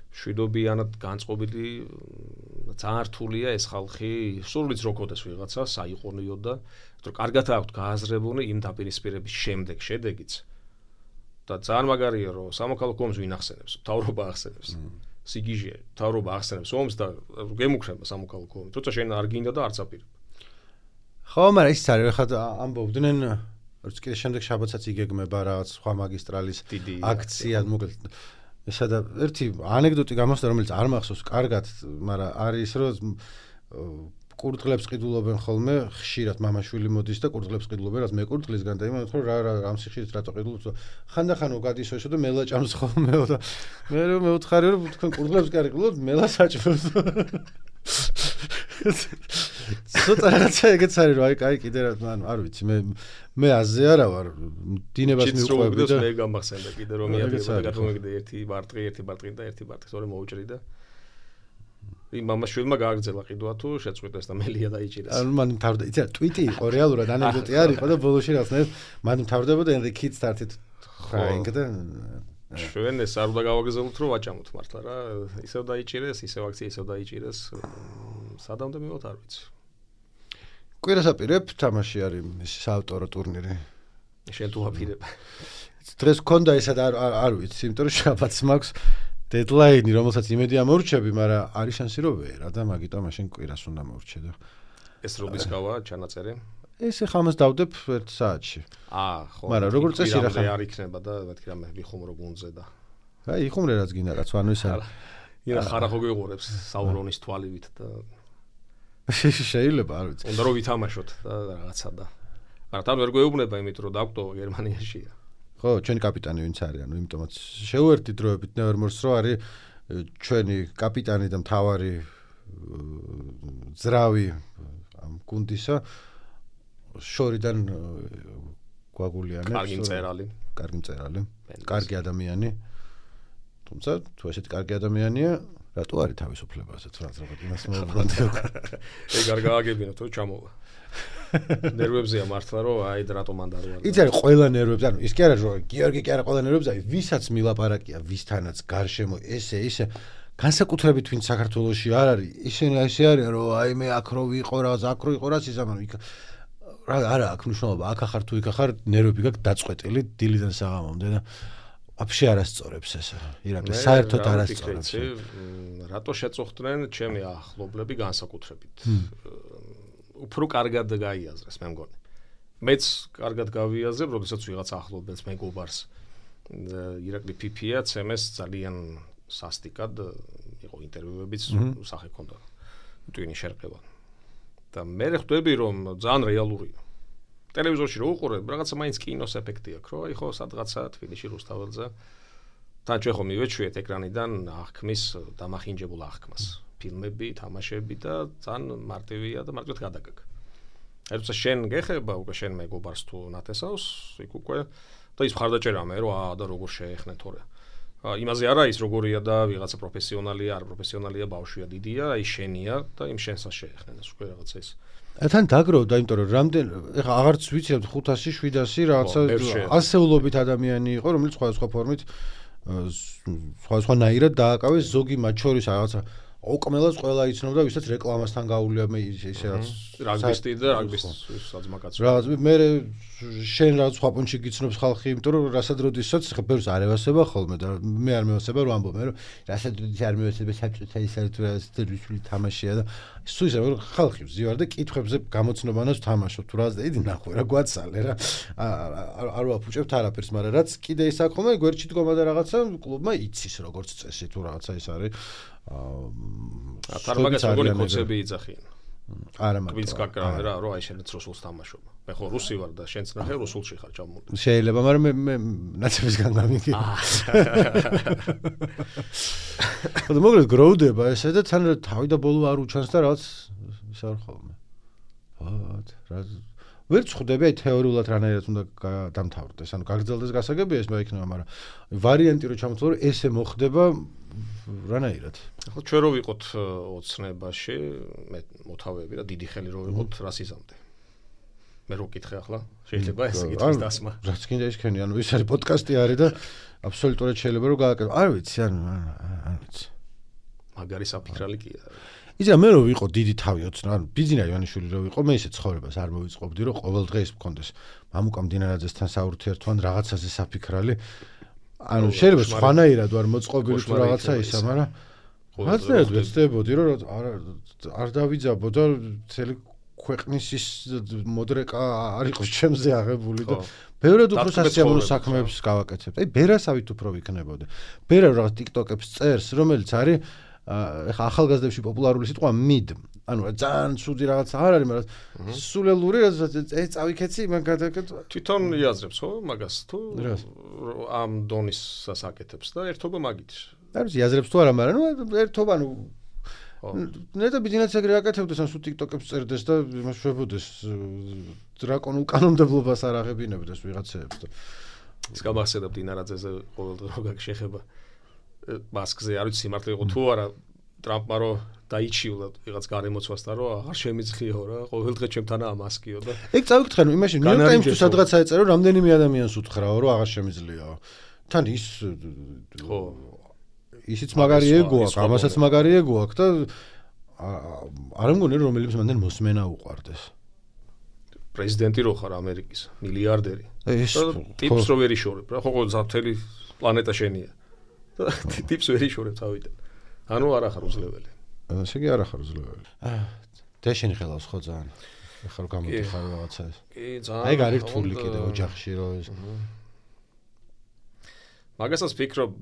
მშვიდობიანად განწყობილი ძალიან რთულია ეს ხალხი სულიც როქოდეს ვიღაცა საიყონიო და რომ კარგად აქვთ გააზრებული იმ დაპირისპირების შემდეგ შედეგიც და ძალიან მაგარია რომ სამოქალაქო ომს ვინ ახსენებს მთავრობა ახსენებს სიგიჟე მთავრობა ახსენებს ომს და გემუქრება სამოქალაქო ომი თუმცა შენ არ გინდა და არც აპირებ ხო მაგრამ ის არის ხა ამბობდნენ რომ კიდე შემდეგ შაბათსაც იგეგმება რაღაც სხვა მაგისტრალის აქცია მოკლედ ესადა ერთი ანეკდოტი გამოსდა რომელიც არ მახსოვს კარგად მაგრამ არის რომ კურდღლებს ყიდულობენ ხოლმე ხშირად მამაშვილი მოდის და კურდღლებს ყიდულობენ რაც მე კურდღლისგან და იმან თქო რა რა ამ სიხშირით რატო ყიდულობ ხანდახანო გადის ოშო და მელა ჭამს ხოლმეო და მე რომ მეუთხარი რომ თქვენ კურდღლებს კი არ ყიდულობთ მელა საჭმელს ცოტა რაღაცა ეგეც არის რომ აი კაი კიდე რა ანუ არ ვიცი მე მე აზე არა ვარ დინებას მიუყვები და მე გამახსენდა კიდე რომ მიადიოდა გადმოგიდე ერთი ბარტყი ერთი ბარტყი და ერთი ბარტყი თორე მოუჭრი და იმ მამაშვილმა გააგრძელა ყიდვა თუ შეწყვიტეს და მელია დაიჭირეს. ანუ მან მთავრდა, იცი რა, ტვიტი იყო რეალურად ანეკდოტი არ იყო და ბოლოში რაღაცნაირად მან მთავრდებოდა ენდე კიდს თართით ხაინგ და ჩვენ ეს არ უნდა გავაგზავნოთ რომ ვაჭამოთ მართლა რა, ისევ დაიჭირეს, ისევ აქცია ისევ დაიჭირეს. სადამდე მივოთ არ ვიცი. კვირას აპირებ თამაში არის ის საავტორო ტურნირი. შენ თუ აპირებ. დღეს გქონდა ესა და არ ვიცი, იმიტომ რომ შაბათს მაქვს დედლაინი, რომელსაც იმედი ამორჩები, მაგრამ არის შანსი რომ ვერა და მაგიტო მაშინ კვირას უნდა მორჩე და ეს რობისკავა ჩანაწერი. ეს ახლა ამას დავდებ ერთ საათში. აა, ხო. მაგრამ როგორც წესი რა ხარ არ იქნება და მეთქი რამე ვიხუმრო გუნზე და. აი, იხუმრე რაც გინდა რაც ანუ ის არა. ირა ხარ ხო გიყურებს საურონის თვალივით და შეიძლება, არ ვიცი. უნდა რომ ვითამაშოთ და რაღაცა და. არა, თან ვერ გვეუბნება იმით რომ დაგვტო გერმანიაშია. ხო, ჩვენი კაპიტანი ვინც არის, ანუ იმიტომაც შეუერთდი დროებით ნევრმორს რო არის ჩვენი კაპიტანი და მთავარი ძრავი ამ გუნდისა შორიდან გვაგულიანებს. კარგი მწერალი. კარგი მწერალი. კარგი ადამიანი. თუმცა თუ ესეთი კარგი ადამიანია, რატო არის თავისუფლებაზე თუ რაც რაღაც იმას მოუბრუნდი. ეგ არ გააგებინა თუ ჩამოვა. ნერვებზეა მართლა რომ აი რატომ მანდ არ ვარ. იცი არის ყველა ნერვებზე, ანუ ის კი არა რომ გიორგი კი არა ყველა ნერვებზე, აი ვისაც მილაპარაკია, ვისთანაც გარშემო ესე ისე განსაკუთრებით ვინც საქართველოში არ არის, ისინი ესე არიან რომ აი მე აქ რო ვიყო რა, აქ რო იყო რა სიზამანო იქ რა არა აქ მნიშვნელობა, აქ ახარ თუ იქ ახარ ნერვები გაქვს დაწყვეტილი დილიდან საღამომდე და вообще არასწორებს ეს. ირაკლი საერთოდ არასწორებს. რატო შეწუხდნენ ჩემი ახლობლები განსაკუთრებით. უფრო კარგად გაიაზრეს მე მგონი. მეც კარგად გავიაზრებ, როდესაც ვიღაც ახლობელს მეგობარს. ირაკლი ფიფია ცემეს ძალიან სასტიკად იყო ინტერვიუებიც სახე ქონდა. ტვინი შერყევა. და მე ხვდები რომ ძალიან რეალურია. ტელევიზორში რო უყურებ, რაღაცა მაინც კინოს ეფექტი აქვს, რომ აი ხო სადღაცა თბილისში რუსთაველზე თან ჩვენ ხომ მივეჩვიეთ ეკრანიდან აღქმის დამახინჯებულ აღქმას. ფილმები, თამაშები და ძალიან მარტივია და მარტივად გადაგაგ. ერთსა შენ გეხება უკვე შენ მეგობარს თუ ნათესავს, იქ უკვე და ის მხარდაჭერა მე რომ აა და როგორ შეეხნე თორე. იმაზე არა ის როგორია და ვიღაცა პროფესიონალია, არ პროფესიონალია, ბავშვია, დიდია, აი შენია და იმ შენსაც შეეხნენ ეს უკვე რაღაცა ის. თან დაგროვდა, იმიტომ რომ რამდენ ეხა აღარც ვიცით ხუთასი, შვიდასი რაღაცა ასეულობით ადამიანი იყო, რომელიც სხვადასხვა ფორმით სხვადასხვანაირად დააკავეს, ზოგი მათ შორის რაღაცა ოკმელას ყველა იცნობდა, ვისაც რეკლამასთან გაუვლია მე ისე რაც რაგბისტი და რაგბის საძმაკაცი. რა მე შენ რაღაც სხვა პუნჩი გიცნობს ხალხი, იმიტომ რომ რასადროდისაც ხა ბევრს არ ევასება ხოლმე და მე არ მევასება რომ ამბობ მე რომ რასადროდის არ მევასება საბჭოთა ის არის თუ რა რუსული თამაშია და სულ ისე რომ ხალხი ვზივარ და კითხვებზე გამოცნობანას თამაშობ თუ რა და იდი ნახო რა გვაცალე რა არ ვაფუჭებთ არაფერს, მაგრამ რაც კიდე ის აქვს ხოლმე გვერდში დგომა და რაღაცა კლუბმა იცის როგორც წესი თუ რაღაცა ის არის აა თარმაგას როგორი კონცეფცია იძახიან. არა მაგრამ თვითონ გაკრა რა რომ აი შენც რუსულს თამაშობ. მე ხო რუსი ვარ და შენც ნახე რუსულში ხარ ჩამოვიდა. შეიძლება, მაგრამ მე მე ნაცებისგან გამიგი. და მოგლედ გროვდება ესე და თან თავი და ბოლო არ უჩანს და რაღაც ის არ ხოლმე. ვათ რა ვერ წხვდები აი თეორიულად რანაირად უნდა დამთავრდეს. ანუ გაგრძელდეს გასაგებია ეს მე იქნება, მაგრამ ვარიანტი რო ჩამოთვალო რომ ესე მოხდება რანაირად. ხო ჩვენ რო ვიყოთ ოცნებაში, მე მოთავეები და დიდი ხელი რო ვიყოთ რასიზამდე. მე რო ვკითხე ახლა, შეიძლება ეს კითხვის დასმა. რაც კიდე ისქენი, ანუ ის არის პოდკასტი არის და აბსოლუტურად შეიძლება რომ გააკეთო. არ ვიცი, ანუ არ ვიცი. მაგარი საფიქრალი კი არა. იცი მე რო ვიყო დიდი თავი ოცნა, ანუ ბიძინა ივანიშვილი რო ვიყო, მე ისე ცხოვრებას არ მოვიწყობდი, რომ ყოველ დღე მქონდეს მამუკა მდინარაძესთან საურთიერთო ან რაღაცაზე საფიქრალი. ანუ შეიძლება სხვანაირად ვარ მოწყობილი თუ რაღაცა ისა, მაგრამ რაღაცნაირად ვეცდებოდი, რომ არ დავიძაბო და მთელი ქვეყნის ის მოდრეკა არ იყოს ჩემზე აღებული და ბევრად უფრო სასიამოვნო საქმეებს გავაკეთებ. აი ბერასავით უფრო ვიქნებოდი. ბერა რაღაც TikTok-ებს წერს, რომელიც არის ეხა ახალგაზრდებში პოპულარული სიტყვა mid. ანუ ძალიან ცუდი რაღაც არ არის, მაგრამ სულელური რაც ეს წავიქეცი, მან გადაკეთო. თვითონ იაზრებს ხო მაგას თუ ამ დონის სასაკეთებს და ერთობა მაგით. არ ვიცი იაზრებს თუ არა, მაგრამ ნუ ერთობა ნუ ნეტა ბიზნესს ეგრე აკეთებდეს, ან სულ TikTok-ებს წერდეს და იმას შვებოდეს დრაკონულ კანონმდებლობას არ აღებინებდეს ვიღაცეებს და ის გამახსენებ დინარაძეზე ყოველდღე რო გაგშეხება მასკზე, არ ვიცი მართლა იყო თუ არა ტრამპმა რო დაიჩიულა ვიღაც გარემოცვასთან რომ აღარ შემიძლიაო რა, ყოველდღე ჩემთანაა მასკიო და ეგ წავიკითხე ნუ იმაში New York Times თუ სადღაც აეწერო რამდენიმე ადამიანს უთხრაო რომ აღარ შემიძლიაო. თან ის ხო ისიც მაგარი ეგო აქვს, ამასაც მაგარი ეგო აქვს და არ მგონი რომ რომელიმე მანდენ მოსმენა უყვარდეს. პრეზიდენტი რო ხარ ამერიკის, მილიარდერი. ტიპს რო ვერ იშორებ რა, ხო ყოველ ზაფთელი პლანეტა შენია. ტიპს ვერ იშორებ თავიდან. ანუ არა ხარ უძლეველი. ესე იგი არა ხარ უძლეველი. დეშენი ხელავს ხო ძალიან. ახლა რომ გამოდიხარ რაღაცა ეს. კი, ძალიან. აი გარიფთული კიდე ოჯახში რო ეს. მაგასაც ვფიქრობ,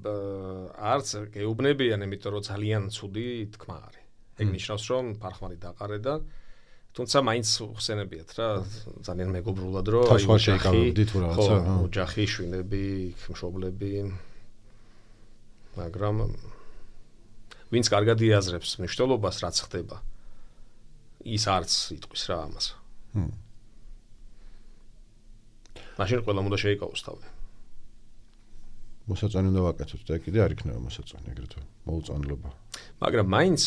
არც გეუბნებიან, იმიტომ რომ ძალიან ცუდი თქმა არის. ეგ ნიშნავს, რომ ფარხმალი დაყარე და თუმცა მაინც ხსენებიათ რა, ძალიან მეგობრულად რომ აი ოჯახი, ხო, ოჯახი, შვილები, მშობლები. მაგრამ ვინც კარგად იაზრებს მნიშვნელობას, რაც ხდება, ის არც იტყვის რა ამას. ჰმ. მაშინ ყველა უნდა შეიკავოს თავი. მოსაწონი უნდა ვაკეთოთ და კიდე არ იქნება მოსაწონი ეგრეთვე მოუწონლობა. მაგრამ მაინც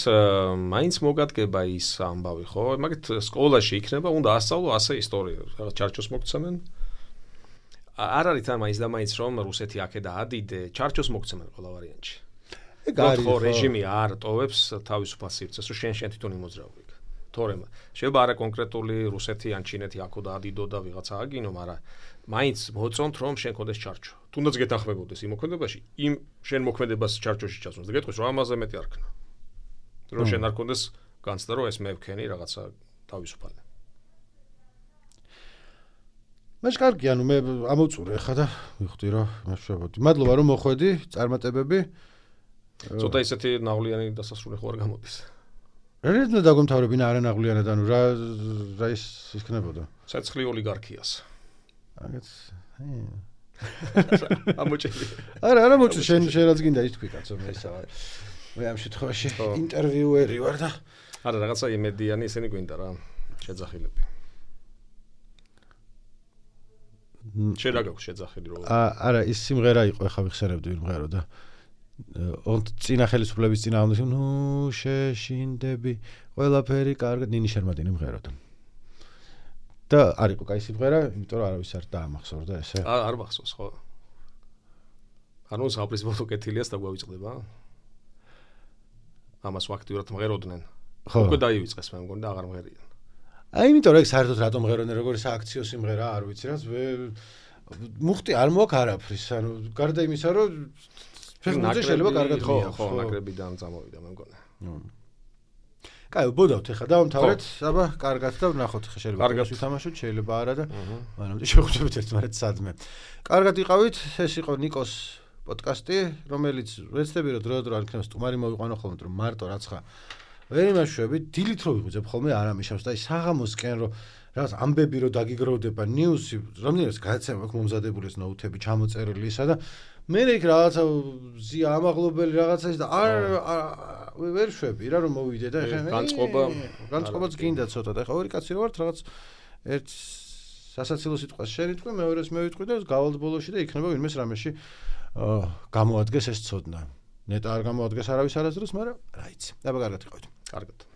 მაინც მოგადგება ის ამბავი, ხო? მაგით სკოლაში იქნება, უნდა ასწავლო ასე ისტორია, რაღაც ჩარჩოს მოგცემენ. არ არის თან მაინც და მაინც რომ რუსეთი აქედა ადიდე, ჩარჩოს მოგცემენ ყველა ვარიანტში. ეგ არის ხო, რეჟიმი არ ტოვებს თავისუფალ სივრცეს, რომ შენ შენ თვითონ იმოძრავი. თორემ შეიძლება არა კონკრეტული რუსეთი ან ჩინეთი აქოდა ადიდო და ვიღაცა აგინო, მაგრამ მაინც მოწონთ რომ შენ კონდეს ჩარჩო. თუნდაც გეთანხმებოდეს იმ მოქმედებაში, იმ შენ მოქმედებას ჩარჩოში ჩასვას და გეტყვის რომ ამაზე მეტი არ ქნა. რომ შენ არ კონდეს განცდა რომ ეს მე ვქენი რაღაცა თავისუფალი. მაშ კარგი, ანუ მე ამოვწურე ხა და ვიხდი რომ მაშავდი. მადლობა რომ მოხვედი, წარმატებები. ცოტა ისეთი ნაღლიანი დასასრული ხო არ გამოდის. რა რედნა დაგომთავრებინა არანაღლიანად, ანუ რა რა ის იქნებოდა? ცეცხლი ოლიგარქიას. აგეთ. ამოჭილი. არა, არა მოწი, შენ შენ რაც გინდა ის თქვი კაცო, მე ისა. მე ამ შემთხვევაში ინტერვიუერი ვარ და არა რაღაცა იმედიანი ისინი გვინდა რა, შეძახილები. შენ რა გაქვს შეძახილი რო? არა, ის სიმღერა იყო, ახლა ვიხსენებდი ვინ მღერო და ონთ წინა ხელისუფლების წინა ამბობ, ნუ შეშინდები, ყველაფერი კარგად, ნინი შერმადინი მღეროდა. და არ იყო კაი სიმღერა, იმიტომ რომ არავის არ დაამახსოვრდა ესე. არ მახსოვს ხო? ანუ საპრინციპო კეთილიას დაგვავიწყდება? ამას ვაქტიურად მღეროდნენ. უკვე დაივიწყეს მე მგონი და აღარ მღერიან. აი იმიტომ რომ ეგ საერთოდ რატომ მღეროდნენ, როგორი სააქციო სიმღერა, არ ვიცი რა, მუხტი არ მოაქვს არაფრის, ანუ გარდა იმისა რომ ფეხბურთზე შეიძლება კარგად მიიღო. ხო, ნაკრებიდან წამოვიდა მე მგონი. კაი, ბოდავთ ახლა დავამთავრეთ, აბა, კარგად და ვნახოთ ხა შეიძლება კარგად ვითამაშოთ, შეიძლება არა და მანამდე შევხვდებით ერთმანეთს სადმე. კარგად იყავით, ეს იყო ნიკოს პოდკასტი, რომელიც ვეცდები რომ დრო-დრო არ იქნება სტუმარი მოვიყვანო ხოლმე, რომ მარტო რაც ხა ვერ იმაშვებით, დილით რო ვიღვიძებ ხოლმე არ ამიშავს და აი საღამოსკენ რომ რაღაც ამბები რო დაგიგროვდება, ნიუსი, რამდენიც გადაცემა აქვს მომზადებული ეს ნოუთები, ჩამოწერილი ისა და მე იქ რაღაცა ზია ამაღლობელი რაღაცა ის და არ ვერ შვები რა რომ მოვიდე და ეხლა განწყობა განწყობაც გინდა ცოტა და ეხლა ორი კაცი რო ვართ რაღაც ერთ სასაცილო სიტყვას შევიტყვი, მეორეს მე ვიტყვი და გავალთ ბოლოში და იქნება ვინმეს რამეში გამოადგეს ეს ცოდნა. ნეტა არ გამოადგეს არავის არასდროს, მაგრამ რა იცი. აბა კარგად იყავით. კარგად.